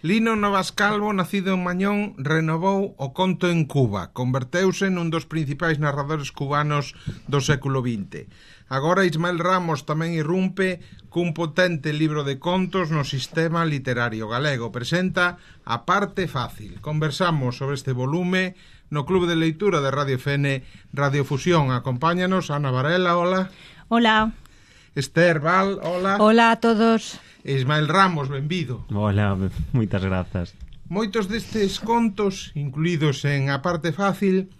Lino Novas Calvo, nacido en Mañón, renovou o conto en Cuba. Converteuse nun dos principais narradores cubanos do século XX. Agora Ismael Ramos tamén irrumpe cun potente libro de contos no sistema literario galego. Presenta A Parte Fácil. Conversamos sobre este volume no Club de Leitura de Radio FN Radiofusión. Acompáñanos Ana Varela, hola. Hola. Esther Val, hola. Hola a todos. Ismael Ramos, benvido. Hola, moitas grazas. Moitos destes contos, incluídos en A Parte Fácil,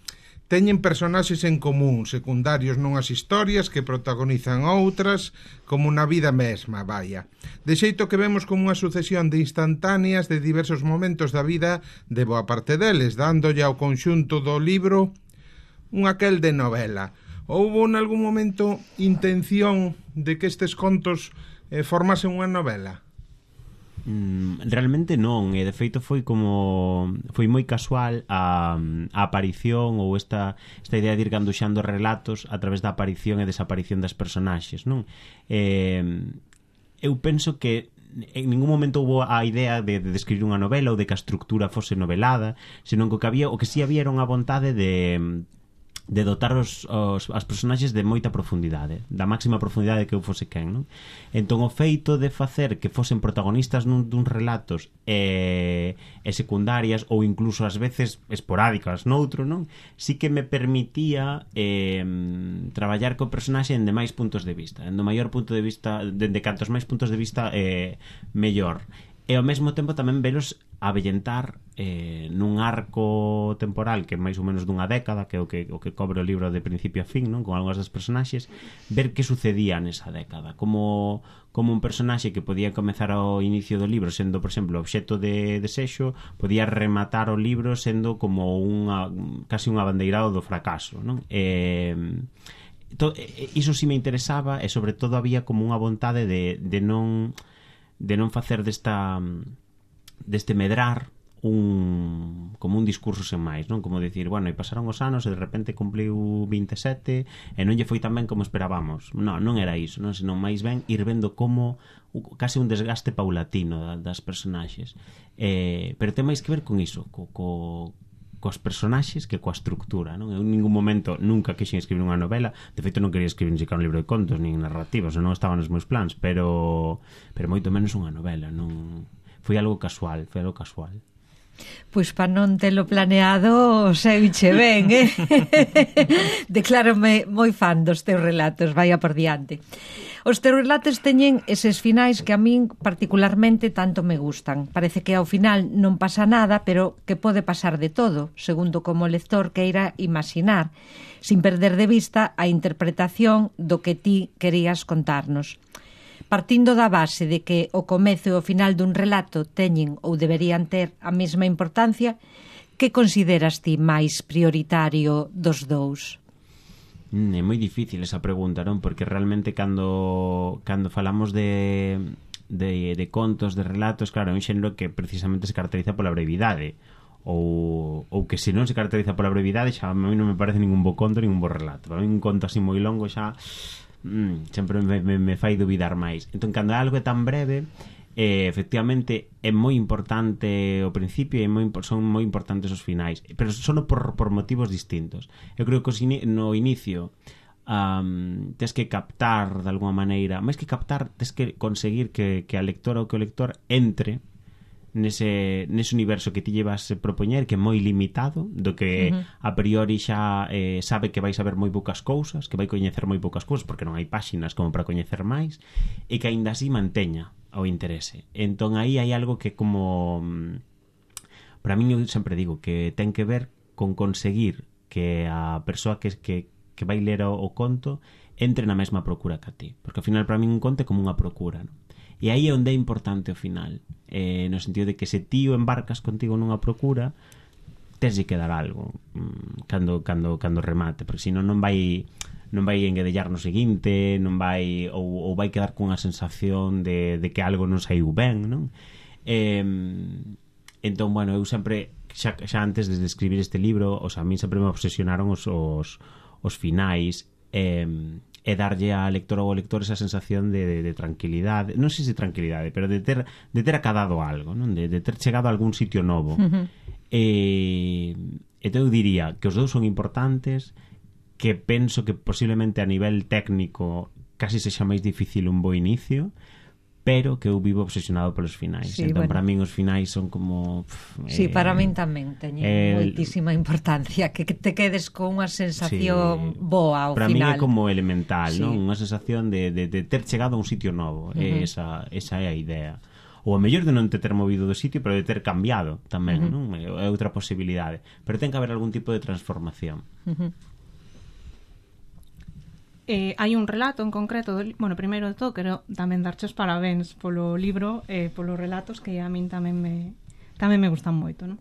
teñen personaxes en común, secundarios nunhas historias que protagonizan outras, como na vida mesma, vaya. De xeito que vemos como unha sucesión de instantáneas de diversos momentos da vida de boa parte deles, dándolle ao conxunto do libro un aquel de novela. Houbo en algún momento intención de que estes contos formasen unha novela? Realmente non, e de feito foi moi casual a aparición ou esta idea de ir ganduxando relatos a través da aparición e desaparición das personaxes, non? Eu penso que en ningún momento houve a idea de escribir unha novela ou de que a estructura fose novelada, senón que o que si había era unha vontade de dotar as personaxes de moita profundidade, da máxima profundidade que eu fose quen, non? Entón o feito de facer que fosen protagonistas duns relatos e secundarias ou incluso ás veces esporádicas noutro, non? Sí que me permitía traballar co personaxe en demais puntos de vista, en do maior punto de vista, dende cantos máis puntos de vista mellor. E ao mesmo tempo tamén velos avellentar nun arco temporal que é máis ou menos dunha década, que é o que cobre o libro de principio a fin, non? Con algunhas das personaxes, ver que sucedía nesa década, como un personaxe que podía comezar ao inicio do libro sendo, por exemplo, obxecto de desexo, podía rematar o libro sendo como casi un abandeirado do fracaso, non? Iso sí me interesaba, e sobre todo había como unha vontade de non facer deste medrar como un discurso sen máis, non? Como dicir, bueno, e pasaron os anos e de repente cumpliu 27 e non lle foi tan ben como esperábamos. Non era iso, non? Senón máis ben ir vendo como case un desgaste paulatino das personaxes. Pero ten máis que ver con iso, cos personaxes que coa estructura, non? Eu en ningún momento nunca quixen escribir unha novela, de feito non quería escribir ni siquiera un libro de contos nin narrativas, non estaban nos meus plans, pero moito menos unha novela, non foi algo casual. Pois para non telo planeado seiche ben, Declárome moi fan dos teus relatos, vaya por diante. Os teus relatos teñen eses finais que a min particularmente tanto me gustan. Parece que ao final non pasa nada, pero que pode pasar de todo, segundo como o lector queira imaginar, sin perder de vista a interpretación do que ti querías contarnos. Partindo da base de que o comezo e o final dun relato teñen ou deberían ter a mesma importancia, que consideras ti máis prioritario dos dous? É moi difícil esa pregunta, non? Porque realmente cando falamos de contos, de relatos, claro, é un xénero que precisamente se caracteriza pola brevidade, ou que se non se caracteriza pola brevidade, xa a mí non me parece ningún bo conto, ningún bo relato. Para mí un conto así moi longo xa sempre me fai dubidar máis. Entón, cando algo é tan breve, efectivamente é moi importante o principio e son moi importantes os finais, pero son por motivos distintos. Eu creo que no inicio tes que captar de alguma maneira, máis que captar, tes que conseguir que a lectora ou que o lector entre nese universo que ti llevas propoñer, que é moi limitado, do que a priori xa sabe que vai saber moi poucas cousas, que vai coñecer moi poucas cousas porque non hai páxinas como para coñecer máis, e que aínda así manteña o interese. Entón aí hai algo que como para min eu sempre digo que ten que ver con conseguir que a persoa que vai ler o conto entre na mesma procura que a ti, porque ao final para min un conto é como unha procura, non? E aí é onde é importante o final, no sentido de que se ti o embarcas contigo nunha procura, teslle que dar algo cando remate, porque senón non vai engadellar no seguinte, non vai ou vai quedar cunha sensación de que algo non saiu ben, non? Entón, bueno, eu sempre xa antes de escribir este libro, a mí sempre me obsesionaron os finais, e darlle a lectora ou ao lector esa sensación de tranquilidade, non sei se tranquilidade, pero de ter acadado algo, non? De ter chegado a algún sitio novo. Entón eu diría que os dous son importantes, que penso que posiblemente a nivel técnico casi sexa máis difícil un bo inicio, pero que eu vivo obsesionado polos finais. Sí, Entón, bueno, para min os finais son como... Sí, para min tamén teñen moitísima importancia, que te quedes con unha sensación boa ao para final. Para min é como elemental, sí, non? Unha sensación de ter chegado a un sitio novo. Esa é a idea. Ou a mellor de non te ter movido do sitio, pero de ter cambiado tamén, non? É outra posibilidade. Pero ten que haber algún tipo de transformación. Hai un relato en concreto bueno, primeiro de todo, quero tamén darche os parabéns polo libro e polos relatos que a min tamén me gustan moito, non?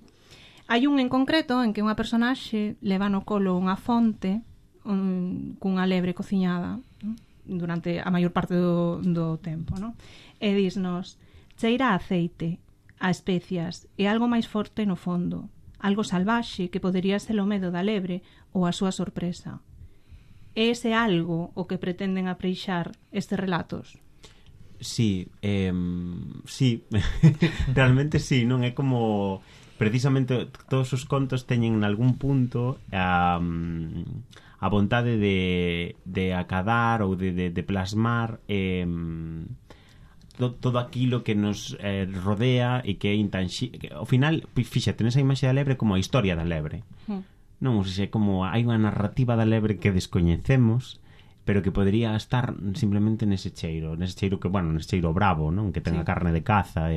Hai un en concreto en que unha personaxe leva no colo unha fonte cunha lebre cociñada, non? Durante a maior parte do tempo, non? E dísnos: cheira a aceite, a especias e algo máis forte no fondo, algo salvaxe que podería ser o medo da lebre ou a súa sorpresa. É ese algo o que pretenden apreixar estes relatos? Sí, sí, realmente sí, non é como precisamente todos os contos teñen en algún punto a vontade de acadar ou de plasmar todo aquilo que nos rodea e que é intangible. Ao final, fíxate, nesa imaxe da lebre como a historia da lebre. Non, ou seja, como hai unha narrativa da lebre que descoñecemos, pero que podría estar simplemente nese cheiro que, bueno, nese cheiro bravo, non? Que ten a carne de caza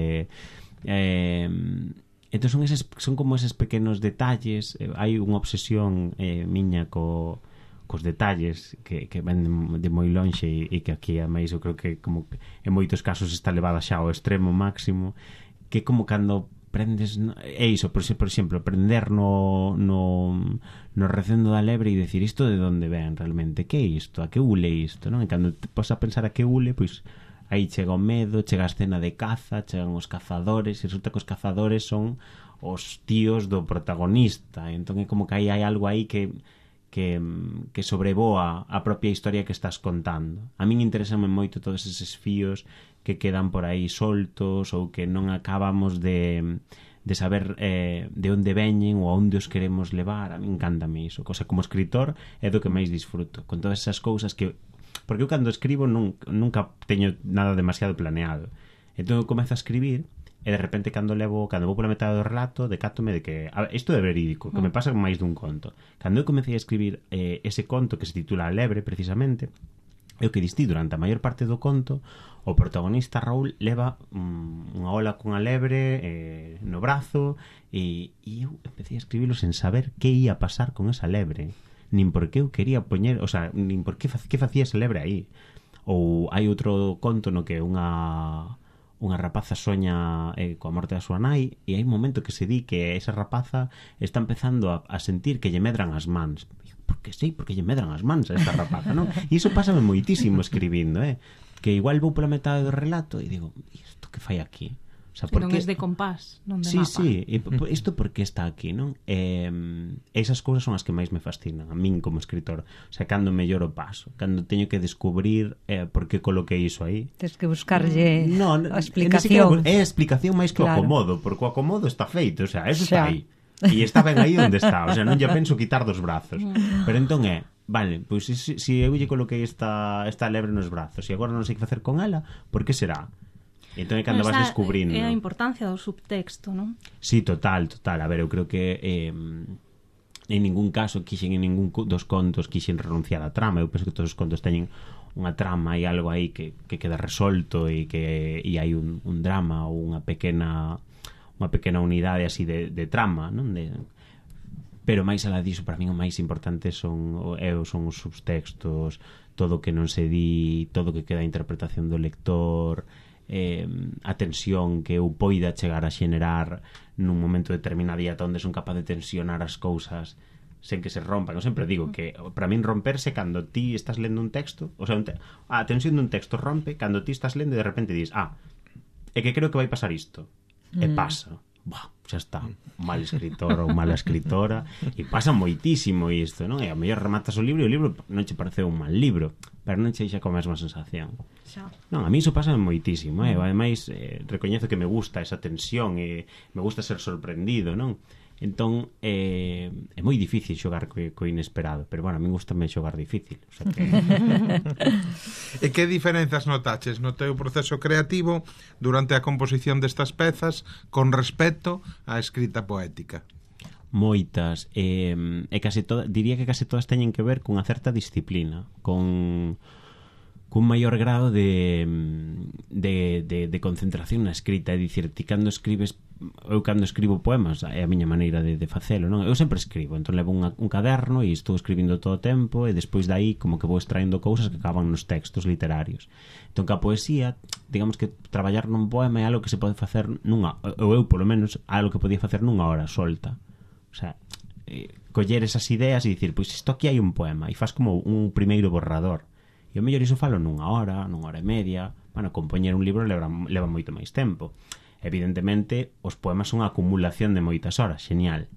entón son como eses pequenos detalles. Hai unha obsesión miña cos detalles que ven de moi lonxe e que aquí ademais eu creo que como en moitos casos está levada xa ao extremo máximo, que como cando prendes, é iso, por exemplo, prender no recendo da lebre e decir isto de onde ven realmente, que é isto, a que ule isto, non? E cando te pos a pensar a que ule, pois aí chega o medo, chega a escena de caza, chegan os cazadores, e resulta que os cazadores son os tíos do protagonista, entón é como que aí hai algo aí que sobrevoa a propia historia que estás contando. A min interesame moito todos eses fíos que quedan por aí soltos ou que non acabamos de saber de onde veñen ou a onde os queremos levar. A min encántame iso. O sea, como escritor é do que máis disfruto, con todas esas cousas que... Porque eu cando escribo nunca teño nada demasiado planeado. Entón eu comezo a escribir e de repente cando vou pola metade do relato decátome de que isto é verídico, que me pasa con máis dun conto. Cando eu comecei a escribir ese conto que se titula A lebre, precisamente, é o que distí durante a maior parte do conto. O protagonista Raúl leva unha ola cunha lebre no brazo e eu empecé a escribilo sen saber que ia pasar con esa lebre, nin por que eu quería poñer, o sea, nin por que facía esa lebre aí. Ou hai outro conto no que unha rapaza soña coa morte da súa nai e hai un momento que se di que esa rapaza está empezando a sentir que lle medran as mans. Porque lle medran as mans a esta rapaza, non? E iso pásame moitísimo escribindo, que igual vou pola metade do relato e digo, isto que fai aquí? O sea, non é de compás, non de mapa. Sí, isto por que está aquí, non? Esas cousas son as que máis me fascinan a min como escritor. O sea, cando mellor o paso, cando teño que descubrir por que coloquei iso aí. Tens que buscarlle a É explicación. a explicación máis que o acomodo, porque o acomodo está feito, o sea, eso está aí. E está ben aí onde está, o sea, non lle penso quitar dos brazos. Pero entón vale, pois se eu lle coloquei esta lebre nos brazos e agora non sei que facer con ela, por que será? E entón é cando vas descubrindo. É a importancia do subtexto, non? Sí, total. A ver, eu creo que en ningún caso en ningún dos contos quixen renunciar á trama. Eu penso que todos os contos teñen unha trama e algo aí que queda resolto e hai un drama ou unha pequena unidade así de trama, non? Pero máis alá diso, para min o máis importante son os subtextos, todo o que non se di, todo o que queda a interpretación do lector, a tensión que eu poida chegar a xenerar nun momento determinado e ata onde son capaz de tensionar as cousas sen que se rompan. Eu sempre digo que para min romperse cando ti estás lendo un texto, o sea, a tensión dun texto rompe cando ti estás lendo e de repente dis, é que creo que vai pasar isto, e pasa, xa está, mal escritor ou mala escritora, e pasa moitísimo isto, non? E a mellor rematas o libro non che pareceu un mal libro, pero non che xa con a mesma sensación. Xa. Non, a mí iso pasa moitísimo, ademais recoñezo que me gusta esa tensión e me gusta ser sorprendido, non? Entón é moi difícil xogar co inesperado, pero bueno, a mí gustame xogar difícil, o sea que... E que diferenzas notaches no teu proceso creativo durante a composición destas pezas con respecto á escrita poética? Moitas, e case todas, diría que case todas teñen que ver cunha certa disciplina, cun maior grado de concentración na escrita. É dicir, ti cando escribes, eu cando escribo poemas é a miña maneira de facelo, non? Eu sempre escribo, entón levo un caderno e estou escribindo todo o tempo, e despois dai como que vou extraendo cousas que acaban nos textos literarios. Entón, que a poesía, digamos que traballar nun poema é algo que se pode facer ou eu polo menos algo que podía facer nunha hora solta. O sea, coller esas ideas e dicir, pois isto aquí hai un poema, e faz como un primeiro borrador. E o mellor iso falo nunha hora e media. Bueno, compoñer un libro leva moito máis tempo. Evidentemente, os poemas son a acumulación de moitas horas, genial.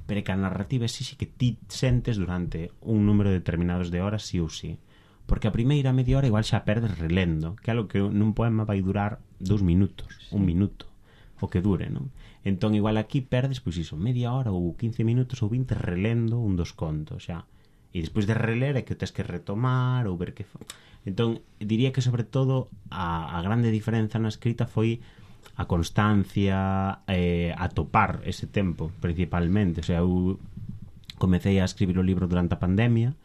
Pero que a narrativa exixe que ti sentes durante un número determinados de horas sí ou sí. Porque a primeira media hora igual xa perdes relendo, que é algo que nun poema vai durar 2 minutos, 1 minuto, o que dure, non? Entón, igual aquí perdes, pois iso, media hora ou 15 minutos ou 20 relendo un dos contos, xa. E despois de reler é que tens que retomar ou ver que... Entón, diría que sobre todo a grande diferenza na escrita foi a constancia, a topar ese tempo, principalmente. O sea, eu comecei a escribir o libro durante a pandemia,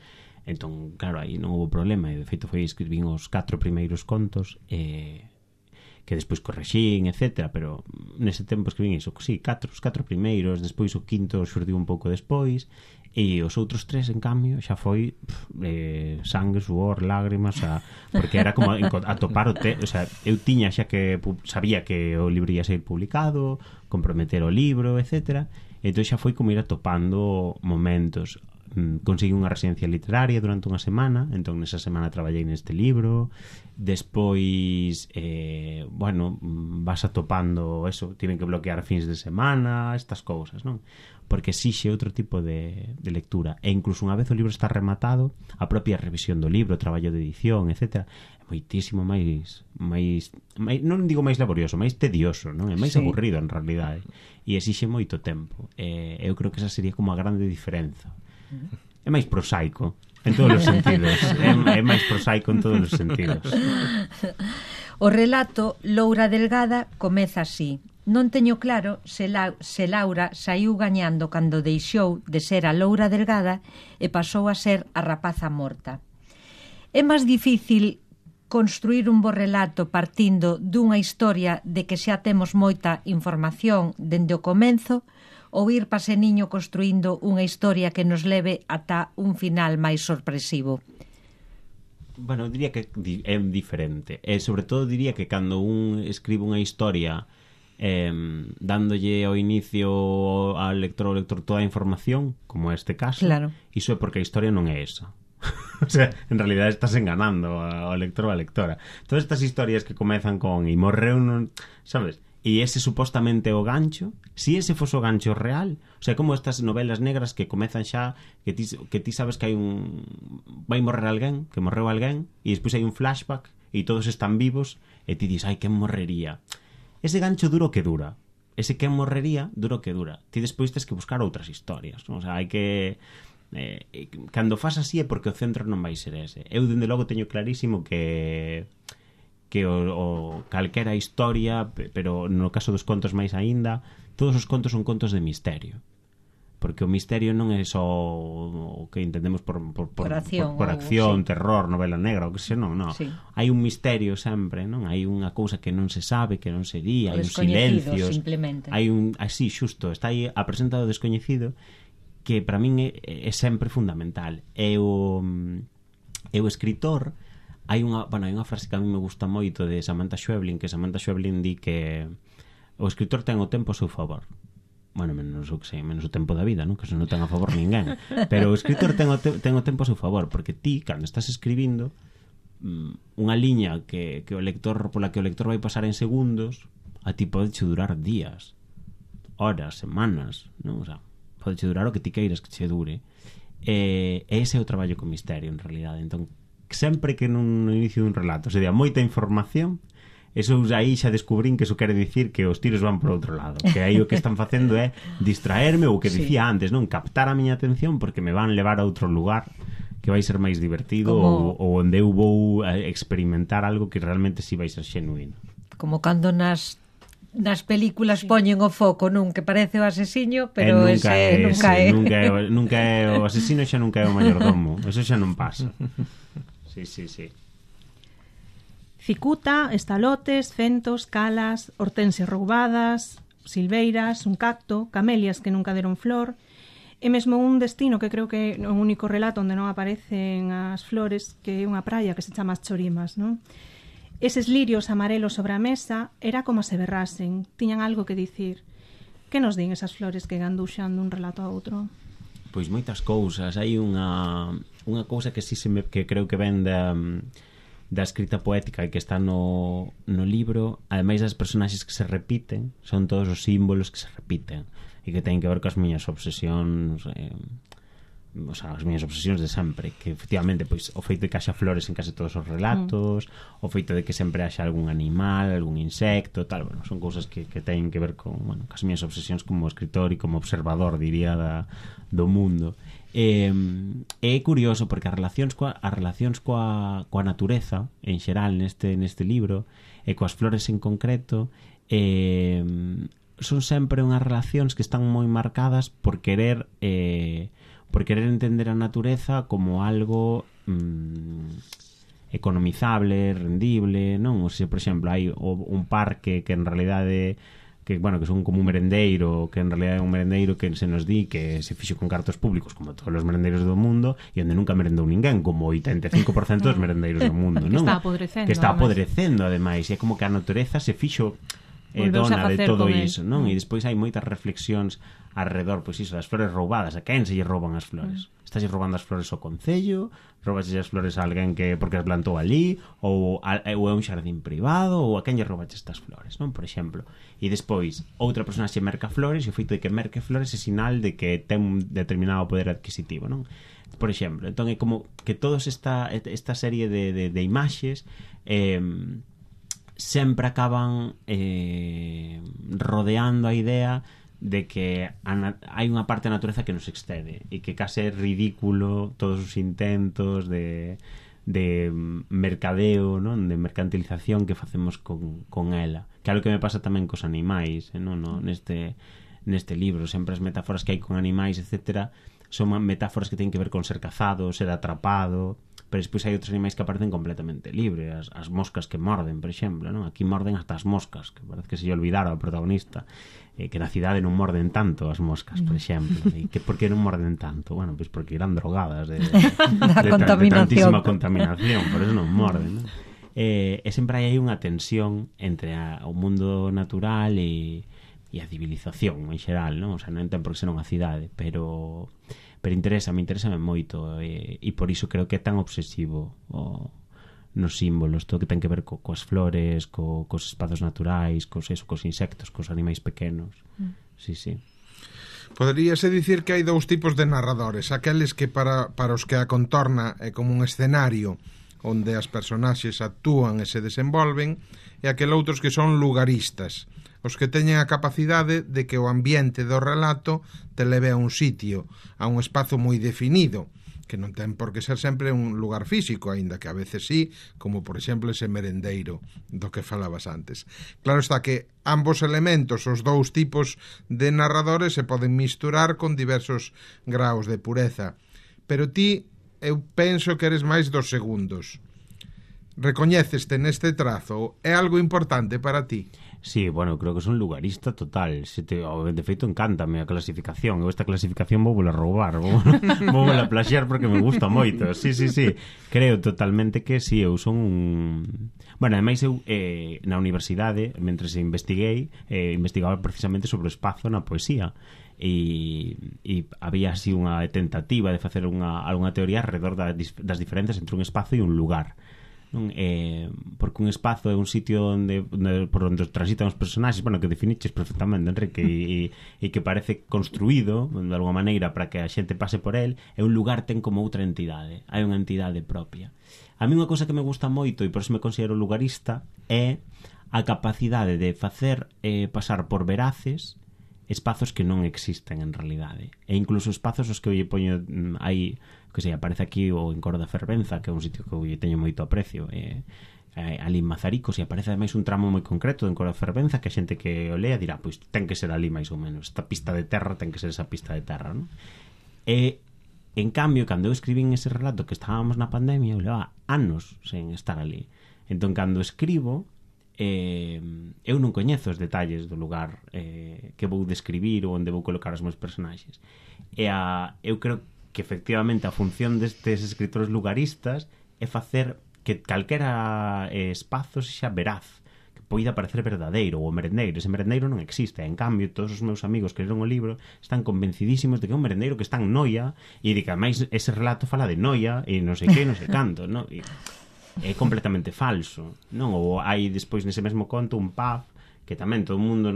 entón, claro, aí non houve problema, e de feito foi escribín os 4 primeiros contos, que despois correxín, etc. Pero nese tempo escribín iso, sí, os 4 primeiros, despois o quinto xurdiu un pouco despois, e os outros 3, en cambio, xa foi sangue, suor, lágrimas, porque era como a topar o o sea, eu tiña xa que sabía que o libro ia ser publicado, comprometer o libro, etc. Entón xa foi como ir atopando momentos. Consegui unha residencia literaria durante unha semana, entón nesa semana traballei neste libro. Despois bueno, vas atopando eso, tiven que bloquear fins de semana, estas cousas, non? Porque exixe outro tipo de lectura, e incluso unha vez o libro está rematado, a propia revisión do libro, o traballo de edición, etc., é moitísimo máis non digo máis laborioso, máis tedioso, non? É máis aburrido en realidade, e exixe moito tempo. Eu creo que esa sería como a grande diferenza. É máis prosaico en todos os sentidos. É máis prosaico en todos os sentidos. O relato Loura Delgada comeza así: non teño claro se Laura saiu gañando cando deixou de ser a Loura Delgada e pasou a ser a rapaza morta. É máis difícil construir un bo relato partindo dunha historia de que xa temos moita información dende o comenzo, ou ir pase niño construindo unha historia que nos leve ata un final máis sorpresivo? Bueno, diría que é diferente. E sobre todo diría que cando un escribe unha historia dándolle ao inicio ao lector toda a información, como é este caso, claro, iso é porque a historia non é esa. O sea, en realidad estás enganando ao lector ou a lectora. Todas estas historias que comezan con "e morreu", non, sabes? E ese supostamente o gancho, si ese fose o gancho real, o sea, como estas novelas negras que comezan xa que ti sabes que hai vai morrer alguén, que morreu alguén, e despois hai un flashback e todos están vivos e ti dis, ai, quen morrería? Ese gancho duro que dura, ese quen morrería duro que dura. Ti despois tens que buscar outras historias, non? O sea, hai que cando fas así é porque o centro non vai ser ese. Eu dende logo teño clarísimo que o calquera historia, pero no caso dos contos máis aínda, todos os contos son contos de misterio, porque o misterio non é só o que entendemos por acción, terror, novela negra, o que se non. Sí. Hai un misterio sempre, non? Hai unha cousa que non se sabe, que non se di, hai un silencios, simplemente. Hai así, xusto, está aí a presenza do descoñecido, que para min é sempre fundamental. É o escritor. Hai unha frase que a mí me gusta moito de Samantha Schweblin, que Samantha Schweblin di que o escritor ten o tempo a seu favor. Bueno, menos o tempo da vida, non? Que se non ten a favor ninguén. Pero o escritor ten o tempo a seu favor, porque ti, cando estás escribindo unha liña pola que o lector vai pasar en segundos, a ti pode durar días. horas, semanas, non? O sea, pode che durar o que ti queiras que che dure. Ese é o traballo con misterio, en realidade. Entón, sempre que no inicio dun relato se dea moita información, eso aí xa descubrín que eso quere dicir que os tiros van por outro lado, que aí o que están facendo é distraerme, ou que dicía antes, non, captar a miña atención porque me van levar a outro lugar que vai ser máis divertido, ou onde eu vou experimentar algo que realmente si vai ser xenuíno. Como cando nas películas poñen o foco nun que parece o asesiño, pero nunca é o asesino, xa nunca é o mayordomo, eso xa non pasa. Sí. Cicuta, estalotes, centos, calas, hortensias roubadas, silveiras, un cacto, camelias que nunca deron flor, e mesmo un destino que creo que é o único relato onde non aparecen as flores, que é unha praia que se chama As Chorimas, non? Eses lirios amarelos sobre a mesa era como se berrasen, tiñan algo que dicir. Que nos din esas flores que ganduxan dun relato a outro? Pois moitas cousas. Hai unha cousa que que creo que ven da escrita poética e que está no libro, ademais das personaxes que se repiten, son todos os símbolos que se repiten e que teñen que ver coas miñas obsesións, o sea, as miñas obsesións de sempre, que efectivamente pois o feito de que haxa flores en case todos os relatos, o feito de que sempre haxa algún animal, algún insecto, tal, bueno, son cousas que teñen que ver con, bueno, cas miñas obsesións como escritor e como observador, diría, do mundo. É curioso porque as relacións coa natureza en xeral neste libro e coas flores en concreto son sempre unhas relacións que están moi marcadas por querer entender a natureza como algo economizable, rendible, non? O sea, por exemplo, hai un parque que en realidade que son como un merendeiro, que en realidade é un merendeiro que se nos di que se fixo con cartos públicos como todos os merendeiros do mundo e onde nunca merendou ninguén, como 85% dos merendeiros do mundo, non? Que está apodrecendo, ademais, e é como que a natureza se fixo dona de todo iso, non? E despois hai moitas reflexións alrededor, pois iso, das flores roubadas. A quen se lle rouban as flores? Estás roubando as flores ao concello? Roubas as flores a alguén que porque as plantou allí? Ou é un xardín privado? Ou a quen lle roubache estas flores, non? Por exemplo. E despois, outra persona xe merca flores e o feito de que merque flores é sinal de que ten un determinado poder adquisitivo, non? Por exemplo, entón é como que todos esta serie de imaxes sempre acaban rodeando a idea de que hai unha parte da natureza que nos excede e que case é ridículo todos os intentos de mercadeo, non? De mercantilización que facemos con ela, que é algo que me pasa tamén cos animais, non? Neste libro sempre as metáforas que hai con animais, etcétera, son metáforas que teñen que ver con ser cazado, ser atrapado, pero despois hai outros animais que aparecen completamente libres, as moscas que morden, por exemplo, non? Aquí morden hasta as moscas, que parece que se lle olvidara ao protagonista, que na cidade non morden tanto as moscas, por exemplo, e que por que non morden tanto? Bueno, pois porque irán drogadas de tantísima contaminación, por eso non morden, non? E sempre hai unha tensión entre o mundo natural e a civilización en xeral, non? O sea, non ten por que ser unha cidade, pero interésame moito e por iso creo que é tan obsesivo nos símbolos, todo que ten que ver coas flores, cos espazos naturais, cos insectos, cos animais pequenos. Sí. Poderíase dicir que hai dous tipos de narradores, aqueles que para os que a contorna é como un escenario onde as personaxes actúan e se desenvolven, e aquel outros que son lugaristas, os que teñen a capacidade de que o ambiente do relato te leve a un sitio, a un espazo moi definido, que non ten por que ser sempre un lugar físico, aínda que a veces sí, como por exemplo ese merendeiro do que falabas antes. Claro está que ambos elementos, os dous tipos de narradores, se poden misturar con diversos graos de pureza, pero ti, eu penso que eres máis dos segundos. Recoñéceste neste trazo? É algo importante para ti? Sí, bueno, creo que son lugarista total. De feito, encántame a clasificación. Eu esta clasificación vou a roubar, vou a plaxear porque me gusta moito. Sí. Creo totalmente que sí, eu son un... Bueno, ademais eu na universidade, mentres investiguei, investigaba precisamente sobre o espazo na poesía. E había así unha tentativa de facer algunha teoría alrededor das diferencias entre un espazo e un lugar. non? Porque un espazo é un sitio por onde transitan os personaxes, bueno, que definiches perfectamente, Enrique, e que parece construído de alguma maneira para que a xente pase por el, é un lugar ten como outra entidade, hai unha entidade propia. A mí unha cousa que me gusta moito e por eso me considero lugarista é a capacidade de facer pasar por veraces espazos que non existen en realidade, e incluso espazos os que eu lle poño aí, que sei, aparece aquí o Encoro da Fervenza, que é un sitio que eu lle teño moito aprecio, ali en Mazaricos, e aparece ademais un tramo moi concreto do Encoro da Fervenza que a xente que o lea dirá, pois ten que ser ali máis ou menos, esta pista de terra ten que ser esa pista de terra, non? E en cambio, cando eu escribín ese relato que estábamos na pandemia, eu leva anos sen estar ali, entón cando escribo eu non coñezo os detalles do lugar que vou describir ou onde vou colocar os meus personaxes, eu creo que efectivamente a función destes escritores lugaristas é facer que calquera espazo sexa veraz, que poida parecer verdadeiro. O merendeiro, ese merendeiro non existe, en cambio todos os meus amigos que leron o libro están convencidísimos de que é un merendeiro que está en Noia e de que ademais ese relato fala de Noia e non sei que, non sei canto, non? E é completamente falso, non? Ou hai despois nese mesmo conto un pub que tamén todo o mundo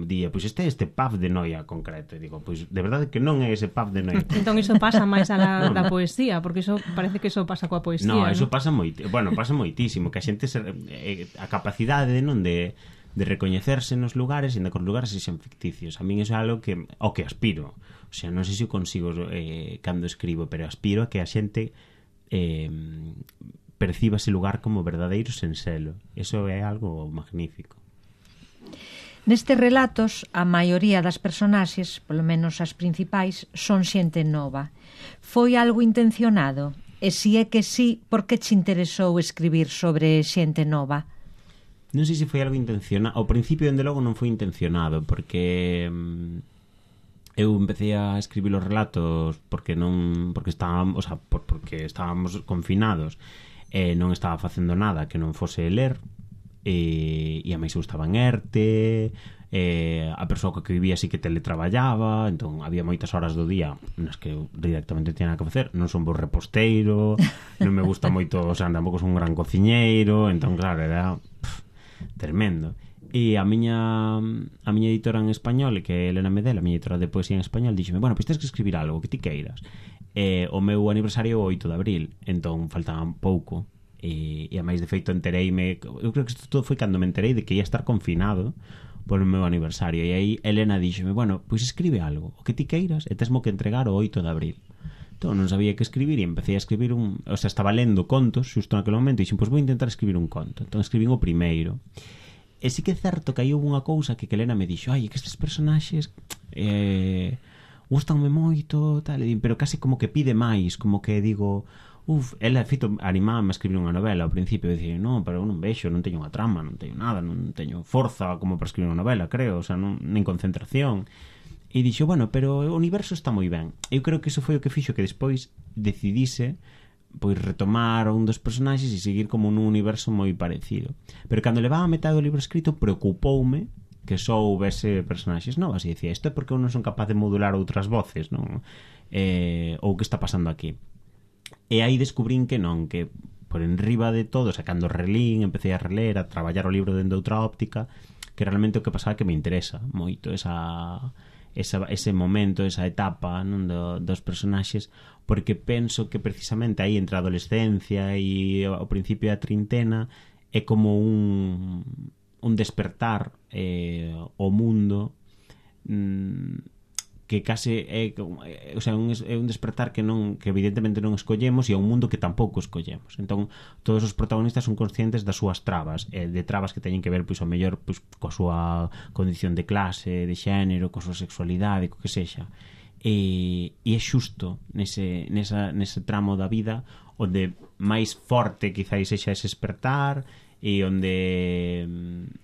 di, pois este pub de Noia concreto, e digo, pois de verdade que non é ese pub de Noia. Entón iso pasa máis a da poesía, porque iso parece que iso pasa coa poesía, non? Iso pasa pasa moitísimo, que a xente a capacidade de recoñecerse nos lugares e de que os lugares sexan ficticios. A min iso é algo que ao que aspiro. O sea, non sei se o consigo cando escribo, pero aspiro a que a xente perciba ese lugar como verdadeiro sen selo. Eso é algo magnífico. Nestes relatos, a maioría das personaxes, polo menos as principais, son xente nova. Foi algo intencionado? E se é que sí, por que te interesou escribir sobre xente nova? Non sei se foi algo intencionado. Ao principio, dende logo, non foi intencionado, porque eu empecé a escribir os relatos porque estábamos confinados e non estaba facendo nada que non fose ler, e a máis eu estaba en ERTE, a persoa que vivía así que teletraballaba, entón había moitas horas do día nas que eu directamente tiña que facer. Non son bo reposteiro, non me gusta moito, o sea, tampouco son un gran cociñeiro, entón claro, era tremendo. E a miña editora en español, que é Elena Medel, a miña editora de poesía en español, díxome, bueno, pois tens que escribir algo que ti queiras. O meu aniversario é o 8 de abril, entón faltaba pouco, e a máis de feito entereime, eu creo que isto todo foi cando me enterei de que ia estar confinado polo meu aniversario, e aí Elena díxome, bueno, pois escribe algo, o que ti queiras, e tesmo que entregar o 8 de abril. Entón non sabía que escribir e empecé a escribir estaba lendo contos xusto naquele momento e dixen, pois vou intentar escribir un conto. Entón escribín o primeiro. E sí que é certo que hai unha cousa que Elena me dixo, ai, que estes personaxes gustanme moito, tal, pero casi como que pide máis, como que digo, ela feito animábame a escribir unha novela ao principio, e dicía, non, pero eu non vexo, non teño unha trama, non teño nada, non teño forza como para escribir unha novela, creo, o sea, nen concentración. E dixo, bueno, pero o universo está moi ben. Eu creo que iso foi o que fixo que despois decidise pois retomar un dos personaxes e seguir como nun universo moi parecido. Pero cando levaba a metade do libro escrito, preocupoume que só houvese personaxes novas, e dicía, isto é porque eu non son capaz de modular outras voces, non? Ou que está pasando aquí. E aí descubrín que non, que por enriba de todo, sacando relín, empecé a reler, a traballar o libro dende outra óptica, que realmente o que pasaba que me interesa moito ese momento, esa etapa, non, dos personaxes, porque penso que precisamente aí entre a adolescencia e o principio da trintena é como un despertar o mundo que case é, o sea, é un despertar que evidentemente non escollemos, e é un mundo que tampouco escollemos. Entón, todos os protagonistas son conscientes das súas trabas, de trabas que teñen que ver, pois, ao mellor, pois, coa súa condición de clase, de xénero, coa súa sexualidade, co que sexa. E é xusto nese tramo da vida onde máis forte quizáis sexa ese despertar, e onde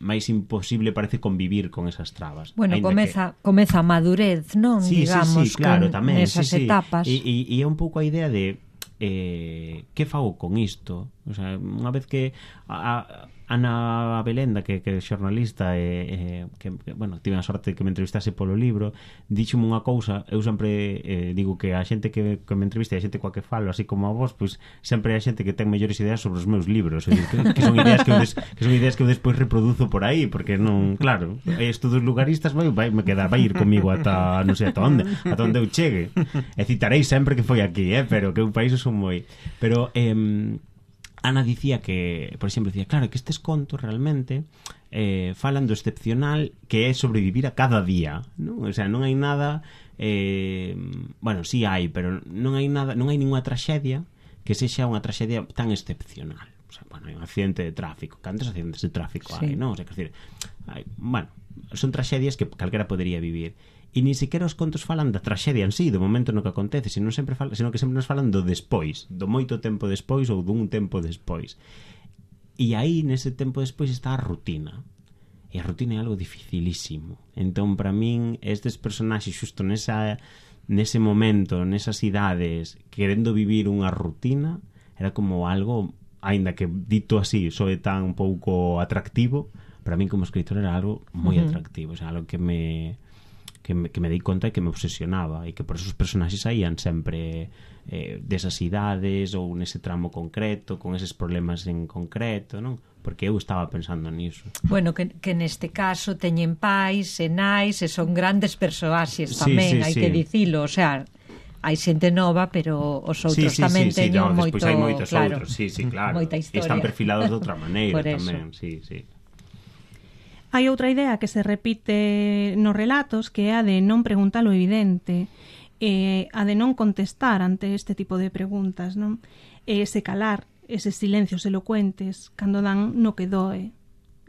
máis imposible parece convivir con esas trabas. Bueno, comeza a madurez, non? Sí, digamos, sí, claro, tamén, nesas etapas. E é un pouco a idea de que fago con isto? O sea, unha vez que Ana Belenda, que é xornalista que bueno, tive a sorte de que me entrevistase polo libro, díxome unha cousa. Eu sempre digo que a xente que me entrevista e a xente coa que falo, así como a vos, pois sempre hai xente que ten mellores ideas sobre os meus libros, que son ideas que eu despois reproduzo por aí, porque non, claro, estudos lugaristas vai ir comigo ata non sei ata onde eu chegue, e citarei sempre que foi aquí, pero que eu países son moi, pero Ana dicía que, por exemplo, claro, que estes contos realmente falan do excepcional que é sobrevivir a cada día, non? O sea, non hai nada, bueno, sí hai, pero non hai ninguna traxedia que sexa unha traxedia tan excepcional. O sea, bueno, hai un accidente de tráfico, cantos accidentes de tráfico hai, non? O sea, que decir, bueno, son traxedias que calquera podería vivir. E ni sequera os contos falan da traxedia en sí, do momento no que acontece, sino que sempre nos falan do despois, do moito tempo despois ou dun tempo despois. E aí, nese tempo despois, está a rutina. E a rutina é algo dificilísimo. Entón, para min, estes personaxes xusto nese momento, nesas idades, querendo vivir unha rutina, era como algo, aínda que dito así, soe tan pouco atractivo, para min como escritor era algo moi atractivo, o sea, algo que me dei conta e que me obsesionaba, e que por esos personaxes saían sempre desas idades ou nese tramo concreto, con eses problemas en concreto, non? Porque eu estaba pensando niso. Bueno, que neste caso teñen pais e nais e son grandes persoaxes tamén, hai que dicilo, o sea, hai xente nova, pero os outros tamén teñen moito, hai moitos claro, outros, claro. Moita historia. Están perfilados de outra maneira tamén, sí. Hai outra idea que se repite nos relatos, que é a de non preguntar o evidente, a de non contestar ante este tipo de preguntas, non? Se calar eses silencios elocuentes cando dan no que doe.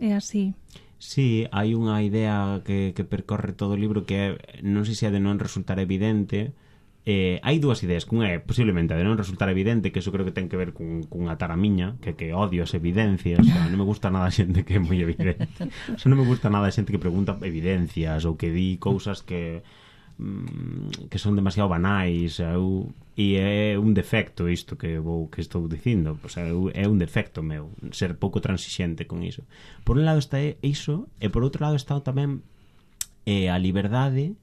É así. Sí, hai unha idea que percorre todo o libro que é, non sei se é de non resultar evidente. Hai dúas ideas, que unha é posiblemente a de non resultar evidente, que eso creo que ten que ver cunha tara miña, que odio as evidencias, o sea, non me gusta nada a xente que é moi evidente, o sea, non me gusta nada a xente que pregunta evidencias ou que di cousas que son demasiado banais, e é un defecto isto que estou dicindo, o sea, é un defecto meu ser pouco transixente con iso. Por un lado está iso, e por outro lado está tamén a liberdade,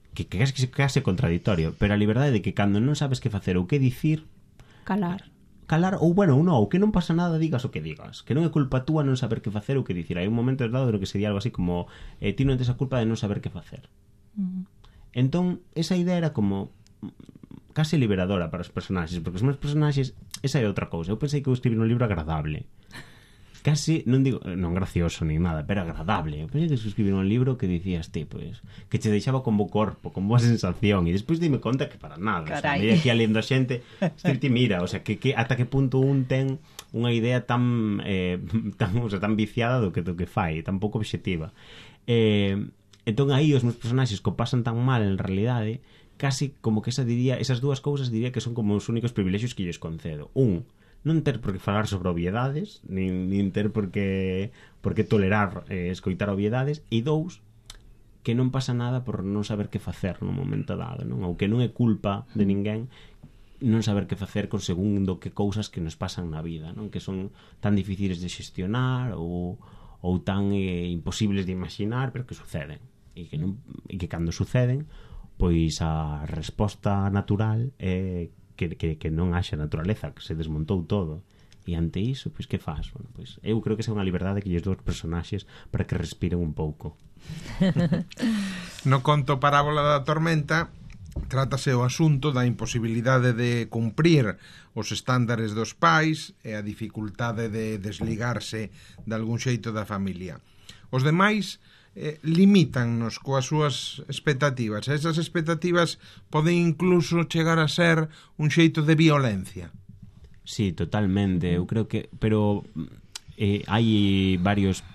que case contradictorio, pero a liberdade de que cando non sabes que facer ou que dicir, calar, ou bueno, ou que non pasa nada, digas o que digas, que non é culpa túa non saber que facer ou que dicir. Hai un momento dado no que sería algo así como ti non tes a culpa de non saber que facer. Entón, esa idea era como case liberadora para os personaxes, porque os meus personaxes, esa é outra cousa. Eu pensei que eu escribir un libro agradable, casi, non digo, non gracioso ni nada, pero agradable. Eu pensei que escribir un libro que dicías ti, pues, que che deixaba con bo corpo, con boa sensación, e despois dime conta que para nada. O sea, me aquí lendo a xente, ti mira, o sea, que ata que punto un ten unha idea tan viciada do que fai, tan pouco obxectiva. Entón aí os meus personaxes que o pasan tan mal en realidade, casi como que esas dúas cousas diría que son como os únicos privilexios que lles concedo. Non ter por que falar sobre obviedades, nin ter por que tolerar escoitar obviedades, e dous, que non pasa nada por non saber que facer no momento dado, non? Ou que non é culpa de ninguén non saber que facer con segundo que cousas que nos pasan na vida, non? Que son tan difíciles de xestionar ou tan imposibles de imaginar, pero que suceden, e que cando suceden, pois a resposta natural é que non haxa naturaleza, que se desmontou todo, e ante iso, pois que faz? Bueno, pois eu creo que esa é unha liberdade que lles dou aos personaxes para que respiren un pouco. No conto Parábola da Tormenta trátase o asunto da imposibilidade de cumprir os estándares dos pais e a dificultade de desligarse de algún xeito da familia. Os demais limítannos coas súas expectativas. Esas expectativas poden incluso chegar a ser un xeito de violencia. Sí, totalmente. Eu creo que... Pero hai varios